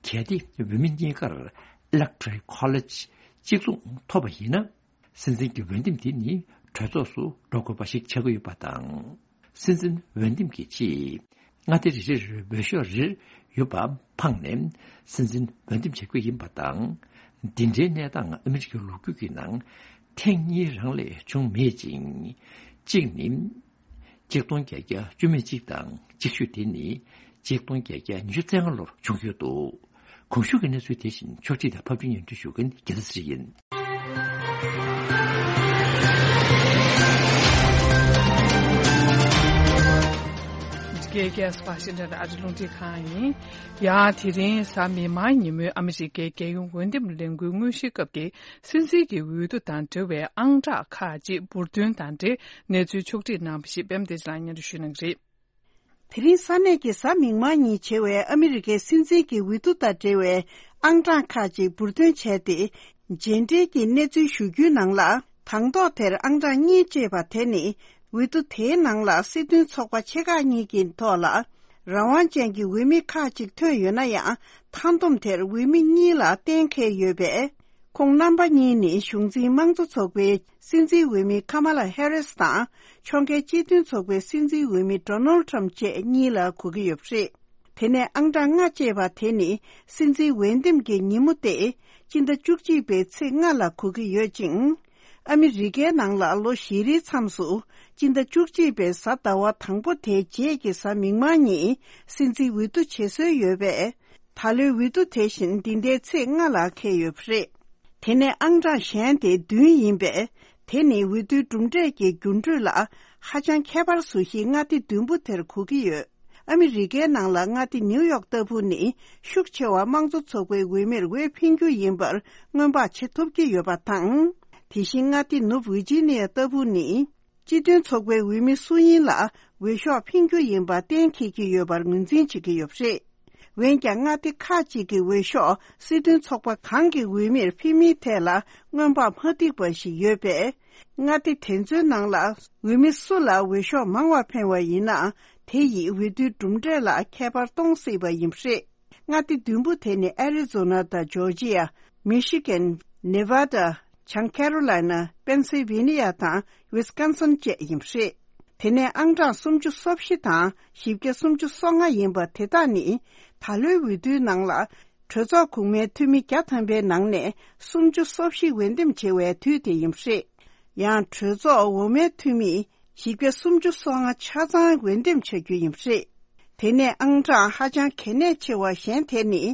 གལ་ཏེ་འོས་མི་གཉིས་ཀར་Electoral College གཅིག་མཚུངས་ཐོབ་པ་ཡིན་ན། སྲིད་འཛིན་གྱི་འོས་འདེམས་དེ་ནི་གྲོས་ཚོགས་སུ་འགྲོ་དགོས་པ་ཞིག་ཆགས་ཀྱི་ཡོད་པ་དང་། སྲིད་འཛིན་འོས་འདེམས་ཀྱི་ཆེད། མངའ་སྡེ་རེ་རེར་འོས་ཤོག་རེ་ཡོད་པ་འཕངས་ནས་སྲིད་འཛིན་འོས་འདེམས་བྱེད་དགོས་ཡིན་པ་དང་། འདི་འདྲའི་གནས་སྟངས་ཨ་མི་རི་ཀའི་ལོ་རྒྱུས་ཀྱི་ནང་ཐེངས་གཉིས་རང་ལས་བྱུང་མེད་ཅིང་། གཅིག་ནི། ཆིག་སྟོང་བརྒྱད་བརྒྱ་བཅུ་མེད་གཅིག་དང་གཅིག་ཤོས་དེ་ནི་ཆིག་སྟོང་བརྒྱད་བརྒྱ་ཉི་ཤུ་རྩ་ལྔ་ལོར་བྱུང་ཡོད་འདུག། གོང་ཞུས་ཀྱི་གནས་ཚུལ་དེ་བཞིན་ཕྱོགས་སྒྲིག་དང་ཕབ་སྒྱུར་སྙན་སྒྲོན་ཞུ་མཁན་རྒྱལ་མཚན་ཚེ་རིང་ཡིན། འདི་གའི་རྒྱལ་ས་ཝ་ཤིང་ཊོན་ཨ་རི་རླུང་འཕྲིན་ཁང་ཡིན། ཡང་དེ་རིང་གཟའ་མིག་དམར་ཉིན་མོའི་ཨ་མི་རི་ཀའི་རྒྱལ་ཡོངས་འོས་འདེམས་ལས་འགུལ་དངོས་གཞིའི་སྐབས་ཀྱི་སྲིད་འཛིན་གྱི་འོས་བསྡུ་དང་འབྲེལ་བའི་ཨང་གྲངས་ཁག་ཅིག་འབུར་ཐོན་དང་འབྲེལ་གནས་ཚུལ་ཕྱོགས་སྒྲིག་གནང་བ་ཞིག་པད་མ་བདེ་ཆེན་ལགས་སྙན་སྒྲོན་ཞུ་གནང་གི་རེད། དེ་རིང་ས་གནས་ཀྱི་གཟའ་མིག་དམར་ཉིན་བྱེད་པའི་ཨ་མི་རི་ཀའི་སྲིད་འཛིན་གྱི་འོས་བསྡུ་དང་འབྲེལ་བའི་ཨང་གྲངས་ཁག་ཅིག་འབུར་ཐོན་བྱས་ཏེ། རྗེས་འབྲེལ་གྱི་གནས་ཚུལ་ཞུ་རྒྱུའི་ནང་ལ། དང་ཐོག་དེར་ཨང་གྲངས་གཉིས་ཅེས་པ་དེ་ནི། འོས་བསྡུ་དེའི་ནང་ལ་སྲིད་དོན་ཚོགས་པ་ཆེ་ཁག་གཉིས་ཀྱི་ཐོག་ལ། རང་དབང་ཅན་གྱི་འོས་མི་ཁག་ཅིག་ཐོན་ཡོད་ན་ཡང་། མཐའ་བསྡོམས་དེར་འོས་མི་གཉིས་ལ་གཏན་འཁེལ་ཡོད་པས། ཁོང་རྣམ་པ་གཉིས་ནི་གཞུང་འཛིན་དམངས་གཙོ་ཚོགས་པའི་སྲིད་འཛིན་འོས་མི་ཁ་མ་ལ་ཧེ་རིས་དང་། ཕྱོགས་འགལ་སྤྱི་མཐུན་ཚོགས་པའི་སྲིད་འཛིན་འོས་མི་ཌོ་ནལ་ཊམ་བཅས་གཉིས་ལ་གོ་གི་ཡོད་པ་རེད། དེ་ནས་ཨང་གྲངས་ལྔ་ཅེས་པ་དེ་ནི་སྲིད་འཛིན་འོས་འདེམས་ཀྱི་ཉིན་མོ་སྟེ། སྤྱི་ཟླ་བཅུ་གཅིག་པའི་ཚེས་ལྔ་ལ་གོ་གི་ཡོད་ཅིང་། ཨ་མི་རི་ཀའི་ནང་ལ་ལོ་བཞི་རེའི་མཚམས་སུ། སྤྱི་ཟླ་བཅུ་གཅིག་པའི་གཟའ་ཟླ་བ་དང་པོ་དེའི་རྗེས་ཀྱི་གཟའ་མིག་དམར་ཉིན་སྲིད་འཛིན་འོས་བསྡུ་བྱེད་སྲོལ་ཡོད་པས། ད་ལོའི་འོས་བསྡུ་དེ་བཞིན་འདི་ཟླའི་ཚེས་ལྔ་ལ་འཁེལ་ཡོད་པ་རེད། དེ་ནས་ཨང་གྲངས་གཞན་དེ་བདུན་ཡིན་པས། དེ་ནི་འོས་བསྡུའི་གྲུབ་འབྲས་ཀྱི་འགྱུར་འགྲོས་ལ་ཧ་ཅང་ཁྱད་པར་བཟོ་གཞིའི་མངའ་སྡེ་བདུན་པོ་དེར་གོ་གི་ཡོད། ཨ་མི་རི་ཀའི་ནང་ལ་མངའ་སྡེ་ནིའུ་ཡོག་ལྟ་བུ་ནི་ཤུགས་ཆེ་བ་དམངས་གཙོ་ཚོགས་པའི་འོས་མིར་འོས་འཕེན་རྒྱུ་ཡིན་པར་སྔོན་དཔག་བྱེད་ཐུབ་ཀྱི་ཡོད་པ་དང་། དེ་བཞིན་མངའ་སྡེ་ནུབ་ཝི་ཇི་ནི་ཡ་ལྟ་བུ་ནི། སྤྱི་མཐུན་ཚོགས་པའི་འོས་མི་སུ་ཡིན་ལ་འོས་ཤོག་འཕེན་རྒྱུ་ཡིན་པ་གཏན་འཁེལ་གྱི་ཡོད་པར་ངོས་འཛིན་བྱེད་ཀྱི་ཡོད་པ་རེད། འོན་ཀྱང་མངའ་སྡེ་ཁག་ཅིག་གི་འོས་ཤོག་སྲིད་དོན་ཚོགས་པ་གང་གི་འོས་མིར་འཕེན་མིན་ཐད་ལ་སྔོན་དཔག་མ་འགྲིག་པ་ཞིག་ཡོད་པས། མངའ་སྡེ་དེ་ཚོའི་ནང་ལ་འོས་མི་སུ་ལ་འོས་ཤོག་མང་བ་འཕེན་པ་ཡིན་ན། དེ་ཡིས་འོས་བསྡུའི་གྲུབ་འབྲས་ལ་ཁྱད་པར་གཏོང་སྲིད་པ་ཡིན་པ་རེད། མངའ་སྡེ་བདུན་པོ་དེ་ནི་ཨེ་རི་ཛོ་ན་དང་ཇོར་ཇི་ཡ། མི་ཤི་གན། ནེ་ཝ་ད། བྱང་ཁེ་རོ་ལའི་ན། པེན་སིལ་ཝེ་ནི་ཡ་དང་ཝི་སི་ཀོན་སིན་བཅས་ཡིན་པ་རེད། དེ་ནས་ཨང་གྲངས་སུམ་ཅུ་སོ་བཞི་དང་བཞི་བརྒྱ་སུམ་ཅུ་སོ་ལྔ་ཡིན་པ་དེ་དག་ནི། ད་ལོའི་འོས་བསྡུའི་ནང་ལ། གྲོས་ཚོགས་གོང་མའི་འཐུས་མི་བརྒྱ་ཐམ་པའི་ནང་ནས་སུམ་ཅུ་སོ་བཞི་འོས་འདེམས་བྱེད་པའི་དུས་དེ་ཡིན་པ་རེད། ཡང་གྲོས་ཚོགས་འོག་མའི་འཐུས་མི། བཞི་བརྒྱ་སུམ་ཅུ་སོ་ལྔ་ཆ་ཚང་འོས་འདེམས་བྱ་རྒྱུ་ཡིན་པ་རེད། དེ་ནས་ཨང་གྲངས་ཧ་ཅང་གལ་གནད་ཆེ་བ་གཞན་དེ་ནི།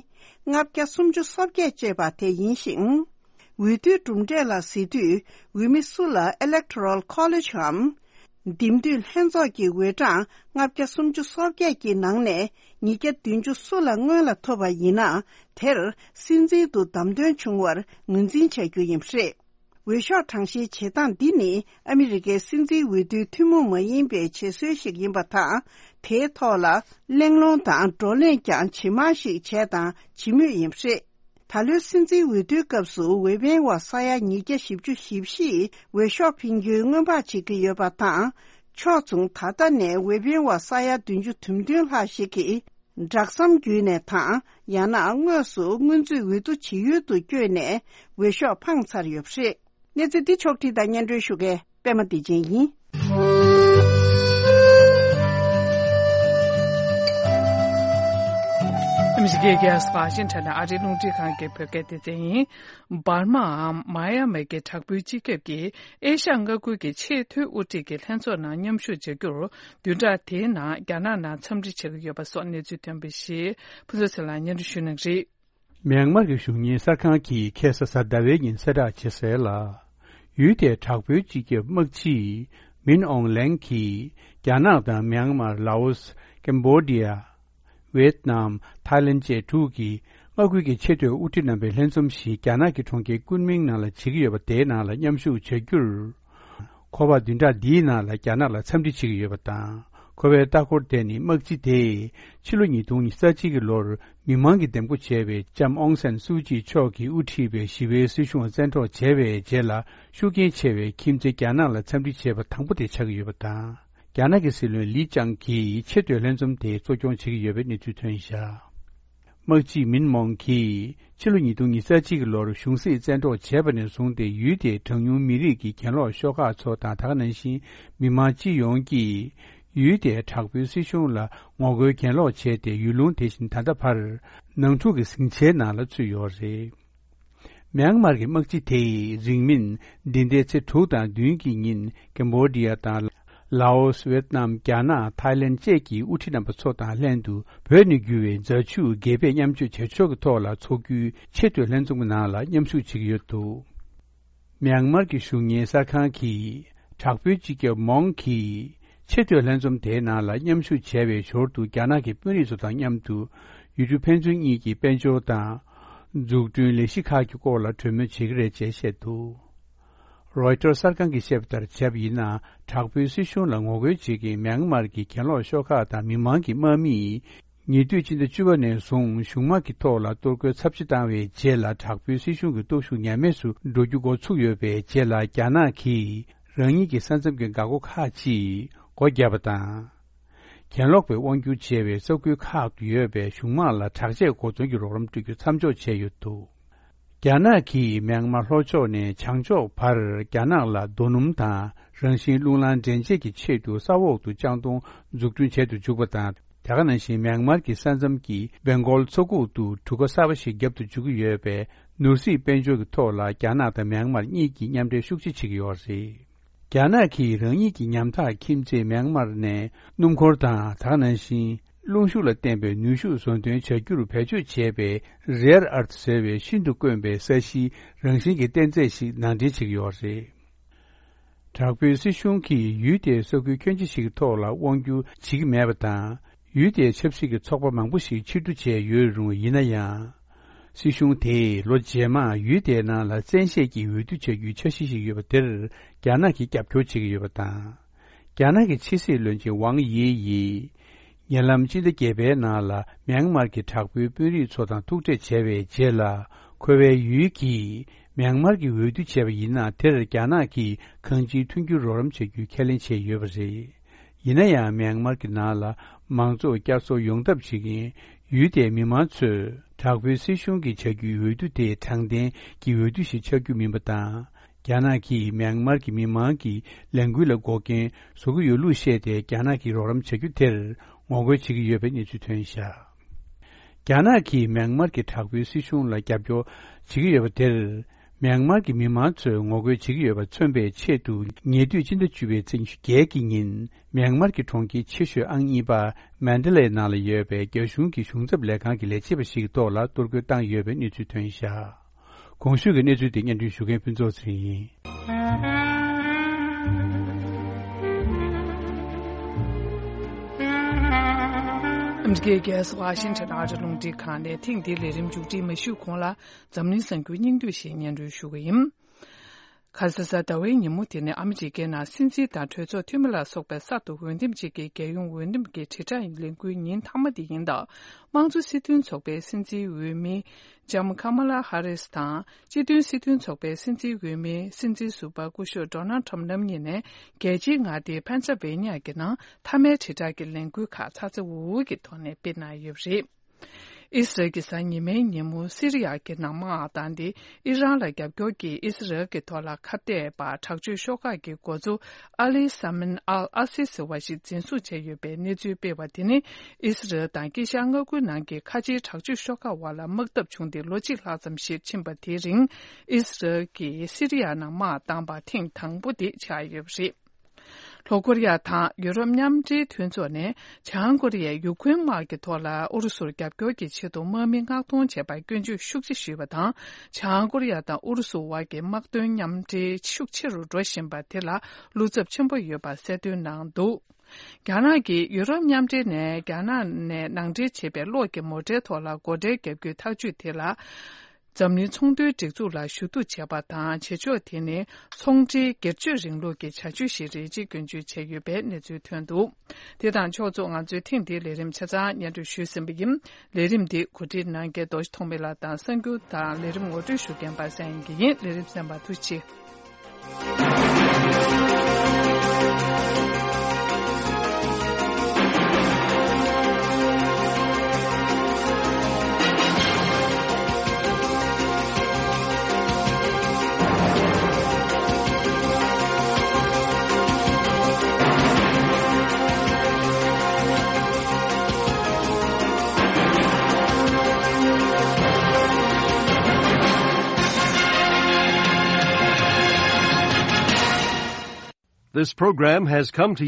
ལྔ་བརྒྱ་སུམ་ཅུ་སོ་བརྒྱད་ཅེས་པ་དེ་ཡིན་ཞིང་། འོས་བསྡུའི་གྲུབ་འབྲས་ལ་གཟིགས་དུས། འོས་མི་སུ་ལ་Electoral College འམ། འདེམས་སྡོད་ལྷན་ཚོགས་ཀྱི་འོས་གྲངས་ལྔ་བརྒྱ་སུམ་ཅུ་སོ་བརྒྱད་ཀྱི་ནང་ནས་ཉིས་བརྒྱ་བདུན་ཅུ་སུ་ལ་སྔོན་ལ་ཐོབ་པ་ཡིན་ན། དེར་སྲིད་འཛིན་དུ་བདམས་ཐོན་བྱུང་བར་ངོས་འཛིན་བྱ་རྒྱུ་ཡིན་པ་རེད། འོས་ཤོག་གྲངས་བཤེར་བྱེད་སྟངས་འདི་ནི་ཨ་མི་རི་ཀའི་སྲིད་འཛིན་འོས་བསྡུའི་ཐུན་མོང་མ་ཡིན་པའི་བྱེད་སྲོལ་ཞིག་ཡིན་པ་དང་། དེའི་ཐོག་ལ་གླེང་སློང་དང་བགྲོ་གླེང་ཀྱང་ཇི་མང་ཞིག་བྱས་དང་བྱེད་མུས་ཡིན་པ་རེད། ད་ལོའི་སྲིད་འཛིན་འོས་བསྡུའི་སྐབས་སུ་འོས་འཕེན་པ་ས་ཡ་ཉིས་བརྒྱ་བཞི་བཅུ་ཞེ་བཞི་ཡིས་འོས་ཤོག་འཕེན་རྒྱུའི་སྔོན་དཔག་བྱེད་ཀྱི་ཡོད་པ་དང་། ཕྱོགས་མཚུངས་ད་ལྟ་ནས་འོས་འཕེན་པ་ས་ཡ་བདུན་ཅུ་དོན་བདུན་ལྷག་ཞིག་གིས། སྦྲག་ཟམ་བརྒྱུད་ནས་དང་། ཡང་ན་དངོས་སུ་སྔོན་ཚུད་འོས་བསྡུ་བྱེད་ཡུལ་དུ་བསྐྱོད་ནས་འོས་ཤོག་འཕངས་ཚར་ཡོད་པ་རེད། གནས་ཚུལ་འདི་ཕྱོགས་བསྒྲིགས་དང་སྙན་སྒྲོན་ཞུ་མཁན་པད་མ་བདེ་ཆེན་ཡིན། ཨ་མི་རི་ཀའི་རྒྱལ་ས་ཝ་ཤིང་ཊོན་ནས་ཨ་རིའི་རླུང་འཕྲིན་ཁང་གི་བོད་སྐད་སྡེ་ཚན་ཡིན། འབར་མའམ་མཱ་ཡ་མའི་གི་དྲག་པོའི་སྤྱི་ཁྱབ་ཀྱིས་ཨེ་ཤ་ཡ་མངའ་ཁུལ་གྱི་ཆེས་མཐོའི་དབུ་ཁྲིད་ཀྱི་ལྷན་ཚོགས་ནང་མཉམ་ཞུགས་བྱ་རྒྱུར། བདུན་ཕྲག་དེའི་ནང་རྒྱ་ནག་ནང་འཚམས་འདྲི་བྱེད་ཀྱི་ཡོད་པ་སོགས་གནས་ཚུལ་ཐོན་པ་ཞིག་ཕུན་ཚོགས་ཚེ་ལགས་སྙན་སྒྲོན་ཞུ་གནང་གི་རེད། མྱན་མར་གྱི་གཞུང་གཉེར་གསར་ཁང་གིས་ཁ་སང་གཟའ་ཟླ་བའི་ཉིན་གསལ་བསྒྲགས་བྱས་གསལ་ལ། ཡུལ་དེའི་དྲག་པོའི་སྤྱི་ཁྱབ་དམག་སྤྱི་མིན་ཨོང་ལེང་གིས་རྒྱ་ནག་དང་མྱན་མར། ལའོ་སི། ཀེམ་བྷོ་ཌི་ཡ། ཝེད་ནམ། ཐའི་ལེན་བཅས་དྲུག་གི་མངའ་ཁུལ་གྱི་ཆེས་མཐོའི་དབུ་ཁྲིད་རྣམ་པའི་ལྷན་འཛོམས་ཤིག་རྒྱ་ནག་གི་གྲོང་ཁྱེར་ཀུན་མིང་ནང་ལ་བྱེད་ཀྱི་ཡོད་པ་དེའི་ནང་ལ་མཉམ་ཞུགས་བྱ་རྒྱུར། ཁོ་པ་བདུན་ཕྲག་འདིའི་ནང་ལ་རྒྱ་ནག་ལ་འཚམས་འདྲི་བྱེད་ཀྱི་ཡོད་པ་དང་། ཁོ་པའི་ལྟ་སྐོར་དེ་ནི་དམག་སྤྱི་དེས་ཕྱི་ལོ་ཉིས་སྟོང་ཉི་ཤུ་རྩ་གཅིག་གི་ལོར་མི་མང་གིས་འདེམས་བསྐོ་བྱས་པའི་ལྕམ་ཨོང་སན་སུའུ་ཅི་མཆོག་གིས་དབུ་ཁྲིད་པའི་ཞི་བའི་སྲིད་གཞུང་བཙན་འཕྲོག་བྱས་པའི་རྗེས་ལ་ཤུགས་རྐྱེན་ཆེ་བའི་ཁྱིམ་མཚེས་རྒྱ་ནག་ལ་འཚམས་འདྲི་བྱས་པ་དང་པོ་དེ་ཆགས་ཀྱི་ཡོད་པ་དང་། རྒྱ་ནག་གི་སྲིད་བློན་ལི་ཅང་གིས་ཆེས་མཐོའི་ལྷན་འཛོམས་དེ་གཙོ་སྐྱོང་བྱེད་ཀྱི་ཡོད་པའི་གནས་ཚུལ་ཐོན་བཞག། དམག་སྤྱི་མིན་མོང་གིས་ཕྱི་ལོ་ཉིས་སྟོང་ཉི་ཤུ་རྩ་གཅིག་གི་ལོར་གཞུང་སྲིད་བཙན་འཕྲོག་བྱས་པ་ནས་བཟུང་སྟེ་ཡུལ་དེའི་གྲངས་ཉུང་མི་རིགས་ཀྱི་གྱེན་ལོག་ཤོག་ཁག་ཚོ་དང་། ད་ག་ནང་བཞིན་མི་མང་སྤྱི་ཡོངས་ཀྱིས་ཡུལ་དེའི་དྲག་པོའི་སྲིད་གཞུང་ལ་ངོ་རྒོལ་གྱེན་ལོག་བྱས་ཏེ། ཡུལ་ལུང་དེ་བཞིན་ད་ལྟ་བར་ནང་འཁྲུག་གི་ཟིང་ཆའི་ནང་ལ་ཚུད་ཡོད་རེད། མྱན་མར་གྱི་དམག་སྤྱི་དེས་རིང་མིན་འདི་ཟླའི་ཚེས་དྲུག་དང་བདུན་གྱི་ཉིན་ཀེམ་བྷོ་ཌི་ཡ་དང་ ལའོ་སི། ཝེད་ནམ། རྒྱ་ནག། ཐའི་ལེན་བཅས་ཀྱི་དབུ་ཁྲིད་རྣམ་པ་ཚོ་དང་ལྷན་དུ་བོད་ནས་རྒྱུ་བའི་རྫ་ཆུ་དགེ་ཕན་མཉམ་སྤྱོད་བྱེད་ཕྱོགས་ཀྱི་ཐོག་ལ་འཚོགས་རྒྱུའི་ཆེས་མཐོའི་ལྷན་འཛོམས་ཀྱི་ནང་ལ་མཉམ་ཞུགས་བྱེད་ཀྱི་ཡོད་འདུག། མྱན་མར་གྱི་གཞུང་གཉེར་གསར་ཁང་གིས་དྲག་པོའི་སྤྱི་ཁྱབ་མོང་གིས་ཆེས་མཐོའི་ལྷན་འཛོམས་དེའི་ནང་ལ་མཉམ་ཞུགས་བྱས་པའི་ཞོར་དུ་རྒྱ་ནག་གི་དཔོན་རིགས་ཚོ་དང་མཉམ་དུ་ཡུལ་གྲུ་ཕན་ཚུན་གཉིས་ཀྱི་དཔལ་འབྱོར་དང་འཛུགས་སྐྲུན་ལས་གཞི་ཁག་གི་སྐོར་ལ་གྲོས་མོལ་བྱེད་ཀྱི་རེད་ཅེས་བཤད་འདུག། རོའི་ཊར་གསར་ཁང་གིས་བཤད་པ་ལྟར་བྱས་པ་ཡིན་ན། དྲག་པོའི་སྲིད་གཞུང་ལ་ངོ་རྒོལ་བྱེད་མཁན་མྱན་མར་གྱི་གྱེན་ལོག་ཤོག་ཁག་དང་མི་མང་གི་དམག་མིས། ཉེ་དུས་སྤྱི་ཟླ་བཅུ་པ་ནས་བཟུང་གཞུང་དམག་གི་ཐོག་ལ་གཏོར་རྒོལ་ཚབས་ཆེ་བཏང་བའི་རྗེས་ལ། དྲག་པོའི་སྲིད་གཞུང་གི་སྟོབས་ཤུགས་ཉམས་དམས་སུ་འགྲོ་རྒྱུ་འགོ་ཚུགས་ཡོད་པའི་རྗེས་ལ། རྒྱ་ནག་གིས་རང་ཉིད་ཀྱི་ས་མཚམས་ཀྱི་འགག་སྒོ་ཁག་ཅིག་སྒོ་བརྒྱབ་པ་དང་། གྱེན་ལོག་པའི་དབང་སྒྱུར་བྱས་པའི་ས་ཁུལ་ཁག་ཏུ་ཡོད་པའི་གཞུང་དམག་ལ་དྲག་ཆས་གོ་མཚོན་གྱི་རོགས་རམ་སྤྲོད་རྒྱུ་མཚམས་འཇོག་བྱས་ཡོད་འདུག། རྒྱ་ནག་གིས་མྱན་མར་ལྷོ་ཕྱོགས་ནས་བྱང་ཕྱོགས་བར་རྒྱ་ནག་ལ་རྡོ་སྣུམ་དང་རང་བཞིན་རླུང་ལངས་འདྲེན་བྱེད་ཀྱི་ཆེད་དུ་ས་འོག་ཏུ་ལྕང་སྡོང་འཛུགས་སྐྲུན་བྱེད་དུ་འཇུག་པ་དང་། དེ་ག་ནང་བཞིན་མྱན་མར་གྱི་ས་མཚམས་ཀྱི་སྦེང་གོལ་མཚོ་ཁུག་ཏུ་གྲུ་ཁ་གསར་པ་ཞིག་བརྒྱབ་ཏུ་འཇུག་གི་ཡོད་པས། ནོར་སྲིད་དཔལ་འབྱོར་གྱི་ཐོག་ལ་རྒྱ་ནག་དང་མྱན་མར་གཉིས་ཀྱིས་མཉམ་འབྲེལ་ཤུགས་ཆེ་བྱེད་ཀྱི་ཡོད་རེད། རྒྱ་ནག་གིས་རང་ཉིད་ཀྱི་ཉམ་ཐག་ཁྱིམ་མཚེས་མྱན་མར་ནས་སྣུམ་འཁོར་དང་། དེ་ག་ནང་བཞིན་རླུང་ཤུགས་ལ་བརྟེན་པའི་ནུས་ཤུགས་བཟོ་འདྲེན་བྱ་རྒྱུར་བེད་སྤྱོད་བྱས་པའི་རེར་ཨར་ཐི་ཟེར་བའི་ཤིན་ཏུ་དཀོན་པའི་ས་གཞིའི་རང་བཞིན་གྱི་རྟེན་རྫས་ཤིག་ནང་འདྲེན་བྱེད་ཀྱི་ཡོད་རེད། དྲག་པོའི་སྲིད་གཞུང་གིས་ཡུལ་དེའི་ས་ཁུལ་ཁྱོན་ཆེ་ཞིག་གི་ཐོག་ལ་དབང་སྒྱུར་བྱེད་ཀྱི་མེད་པ་དང་། ཡུལ་དེའི་ཆབ་སྲིད་ཀྱི་ཚོགས་པ་མང་པོ་ཞིག་ཕྱིར་བསྡུ་བྱས་ཡོད་རུང་། ཡིན་ན་ཡང་། སྲིད་གཞུང་དེས་ལོ་རྗེས་མར་ཡུལ་དེའི་ནང་ལ་བཙན་ཤེད་ཀྱིས་འོས་བསྡུ་བྱ་རྒྱུའི་འཆར་གཞི་ཞིག་ཡོད་པ་དེར་རྒྱ་ནག་གིས་རྒྱབ་སྐྱོར་བྱེད་ཀྱི་ཡོད་པ་དང་། རྒྱ་ནག་གི་ཕྱི་སྲིད་བློན་ཆེན་ཝང་དབྱི་ཡིས། ཉེ་ལམ་སྤྱི་ཟླ་བརྒྱད་པའི་ནང་ལ་མྱན་མར་གྱི་དྲག་པོའི་དཔོན་རིགས་ཚོ་དང་ཐུག་འཕྲད་བྱས་པའི་རྗེས་ལ། ཁོ་པའི་ཡུལ་གྱིས་མྱན་མར་གྱི་འོས་བསྡུ་བྱས་པ་ཡིན་ན། དེར་རྒྱ་ནག་གིས་གང་ཅིའི་མཐུན་འགྱུར་རོགས་རམ་བྱ་རྒྱུའི་ཁས་ལེན་བྱས་ཡོད་པ་རེད། ཡིན་ན་ཡང་། མྱན་མར་གྱི་ནང་ལ་མང་གཙོ་བསྐྱར་གསོ་ཡོང་ཐབས་བྱེད་མཁན་ཡུལ་དེའི་མི་མང་ཚོས། དྲག་པོའི་སྲིད་གཞུང་གིས་བྱ་རྒྱུའི་འོས་བསྡུ་དེ་དྲང་བདེན་གྱི་འོས་བསྡུ་ཞིག་ཆགས་རྒྱུ་མིན་པ་དང་། རྒྱ་ནག་གིས་མྱན་མར་གྱི་མི་མང་གི་ལས་འགུལ་ལ་འགོག་རྐྱེན་བཟོ་གི་ཡོད་ལུགས་བཤད་དེ། རྒྱ་ནག་གིས་རོགས་རམ་བྱ་རྒྱུ་དེར་ངོ་རྒོལ་བྱེད་ཀྱི་ཡོད་པའི་གནས་ཚུལ་ཐོན་བཞག། རྒྱ་ནག་གིས་མྱན་མར་གྱི་དྲག་པོའི་སྲིད་གཞུང་ལ་རྒྱབ་སྐྱོར་བྱེད་ཀྱི་ཡོད་པ་དེར། མྱན་མར་གྱི་མི་མང་ཚོས་ངོ་རྒོལ་བྱེད་ཀྱི་ཡོད་པ་མཚོན་པའི་ཆེད་དུ། ཉེ་དུས་སྤྱི་ཟླ་བཅུ་པའི་ཚེས་ཉི་ཤུ་བརྒྱད་ཀྱི་ཉིན། མྱན་མར་གྱི་གྲོང་ཁྱེར་ཆེ་ཤོས་ཨང་གཉིས་པ་མན་ཌ་ལའི་ནང་ལ་ཡོད་པའི་རྒྱ་གཞུང་གི་གཞུང་ཚབ་ལས་ཁང་གི་ལས་བྱེད་པ་ཞིག་གི་ཐོག་ལ་གཏོར་རྒོལ་བཏང་ཡོད་པའི་གནས་ཚུལ་ཐོན་བཞག། གོང་ཞུས་ཀྱི་གནས་ཚུལ་དེ་སྙན་སྒྲོན་ཞུ་མཁན་ཕུན་ཚོགས་ཚེ་རིང་ཡིན། ཨ་མི་རི་ཀའི་རྒྱལ་ས་ཝ་ཤིང་ཊོན་ཨ་རི་རླུང་འཕྲིན་ཁང་ནས་ཐེངས་འདིའི་ལས་རིམ་མཇུག་སྒྲིལ་མ་ཞུས་གོང་ལ། འཛམ་གླིང་གསར་འགྱུར་སྙིང་བསྡུས་ཤིག་སྙན་སྒྲོན་ཞུ་གི་ཡིན། ག་ས་གཟའ་ཟླ་བའི་ཉིན་མོ་དེ་ནི་ཨ་མི་རི་ཀའི་ནང་སྲིད་འཛིན་དང་གྲོས་ཚོགས་འཐུས་མི་ལ་སོགས་པའི་གསར་དུ་འོས་འདེམས་བྱེད་ཀྱི་རྒྱལ་ཡོངས་འོས་འདེམས་ཀྱི་དྲིལ་བསྒྲགས་ལས་འགུལ་ཉིན་མཐའ་མ་དེ་ཡིན་སྟབས། དམངས་གཙོ་སྲིད་དོན་ཚོགས་པའི་སྲིད་འཛིན་འོས་མི་ལྕམ་ཀ་མ་ལ་ཧ་རིས་དང་། སྤྱི་མཐུན་སྲིད་དོན་ཚོགས་པའི་སྲིད་འཛིན་འོས་མི་སྲིད་འཛིན་ཟུར་པ་སྐུ་ཞབས་ཌོ་ནལ་ཊམ་རྣམ་གཉིས་ནས། རྒྱལ་སྤྱིའི་མངའ་སྡེ་ཕེན་སིལ་ཝེ་ནི་ཡ་གི་ནང་མཐའ་མའི་དྲིལ་བསྒྲགས་ཀྱི་ལས་འགུལ་ཁག་ཚ་ཚ་འུར་འུར་གྱི་ཐོག་ནས་སྤེལ་གནང་ཡོད་པ་རེད། ཨི་སི་རལ་གྱིས་གཟའ་ཉི་མའི་ཉིན་མོ་སི་རི་ཡ་གི་ནང་དམག་བཏང་སྟེ། ཨི་རན་ལ་རྒྱབ་སྐྱོར་གྱིས་ཨི་སི་རལ་གྱི་ཐོག་ལ་ཁ་གཏད་པ་དྲག་སྤྱོད་ཤོག་ཁག་གི་འགོ་གཙོ་ཨ་ལི་ས་མིན་ཨལ་ཨ་སི་ཟེར་བ་ཞིག་འཛིན་བཟུང་བྱས་ཡོད་པའི་གནས་ཚུལ་སྤེལ་བ་དེ་ནི། ཨི་སི་རལ་དང་དཀྱིལ་ཤར་མངའ་ཁུལ་ནང་གི་ཁ་ཆེའི་དྲག་སྤྱོད་ཤོག་ཁག་དབར་ལ་དམག་འཐབ་བྱུང་སྟེ་ལོ་གཅིག་ལྷག་ཙམ་ཞིག་ཕྱིན་པ་དེའི་རིང་། ཨི་སི་རལ་གྱིས་སི་རི་ཡ་ནང་དམག་བཏང་པ་ཐེངས་དང་པོ་དེ་ཆགས་ཡོད་པ་རེད། ལྷོ་ཀོ་རི་ཡ་དང་ཡུ་རོབ་མཉམ་འབྲེལ་མཐུན་ཚོགས་ནས་བྱང་ཀོ་རི་ཡས་ཡུ་ཁུན་དམག་གི་ཐོག་ལ་ཨུ་རུ་སུར་རྒྱབ་སྐྱོར་གྱི་ཆེད་དུ་དམག་མི་མངགས་གཏོང་བྱས་པར་སྐྱོན་བརྗོད་ཤུགས་ཆེ་ཞུས་པ་དང་། བྱང་ཀོ་རི་ཡ་དང་ཨུ་རུ་སུ་དབར་གྱི་དམག་དོན་མཉམ་འབྲེལ་ཤུགས་ཆེ་རུ་འགྲོ་བཞིན་པ་དེ་ལ་བློ་འཚབ་ཆེན་པོ་ཡོད་པ་གསལ་སྟོན་གནང་འདུག། རྒྱ་ནག་གིས་ཡུ་རོབ་མཉམ་འབྲེལ་ནས་རྒྱ་ནག་ནས་ནང་འདྲེན་བྱས་པའི་གློག་གི་མོ་ཊའི་ཐོག་ལ་སྒོ་ཁྲལ་བརྒྱབ་རྒྱུའི་ཐག་གཅོད་དེ་ལ། འཛམ་གླིང་ཚོང་དོན་སྒྲིག་འཛུགས་ལ་ཞུ་གཏུག་བྱས་པ་དང་། བྱེད་ཕྱོགས་དེ་ནི་ཚོང་འབྲེལ་སྒེར་གཅོད་རིང་ལུགས་ཀྱི་བྱ་སྤྱོད་ཞིག་རེད་ཅེས་སྐྱོན་བརྗོད་བྱས་ཡོད་པའི་གནས་ཚུལ་ཐོན་འདུག། དེ་དང་ཕྱོགས་མཚུངས་ང་ཚོའི་ཐེངས་འདིའི་ལས་རིམ་ཆ་ཚང་སྙན་སྒྲོན་ཞུས་ཟིན་པ་ཡིན། ལས་རིམ་འདི་གོ་སྒྲིག་གནང་མཁན་རྡོ་རྗེ་ཐོགས་མེད་ལགས་དང་གསར་འགྱུར་དང་ལས་རིམ་ངོ་སྤྲོད་ཞུ་མཁན་པ་སངས་དབྱངས་སྐྱིད་ཡིན། ལས་རིམ་གསན་པར་ཐུགས་རྗེ་ཆེ། This program has come to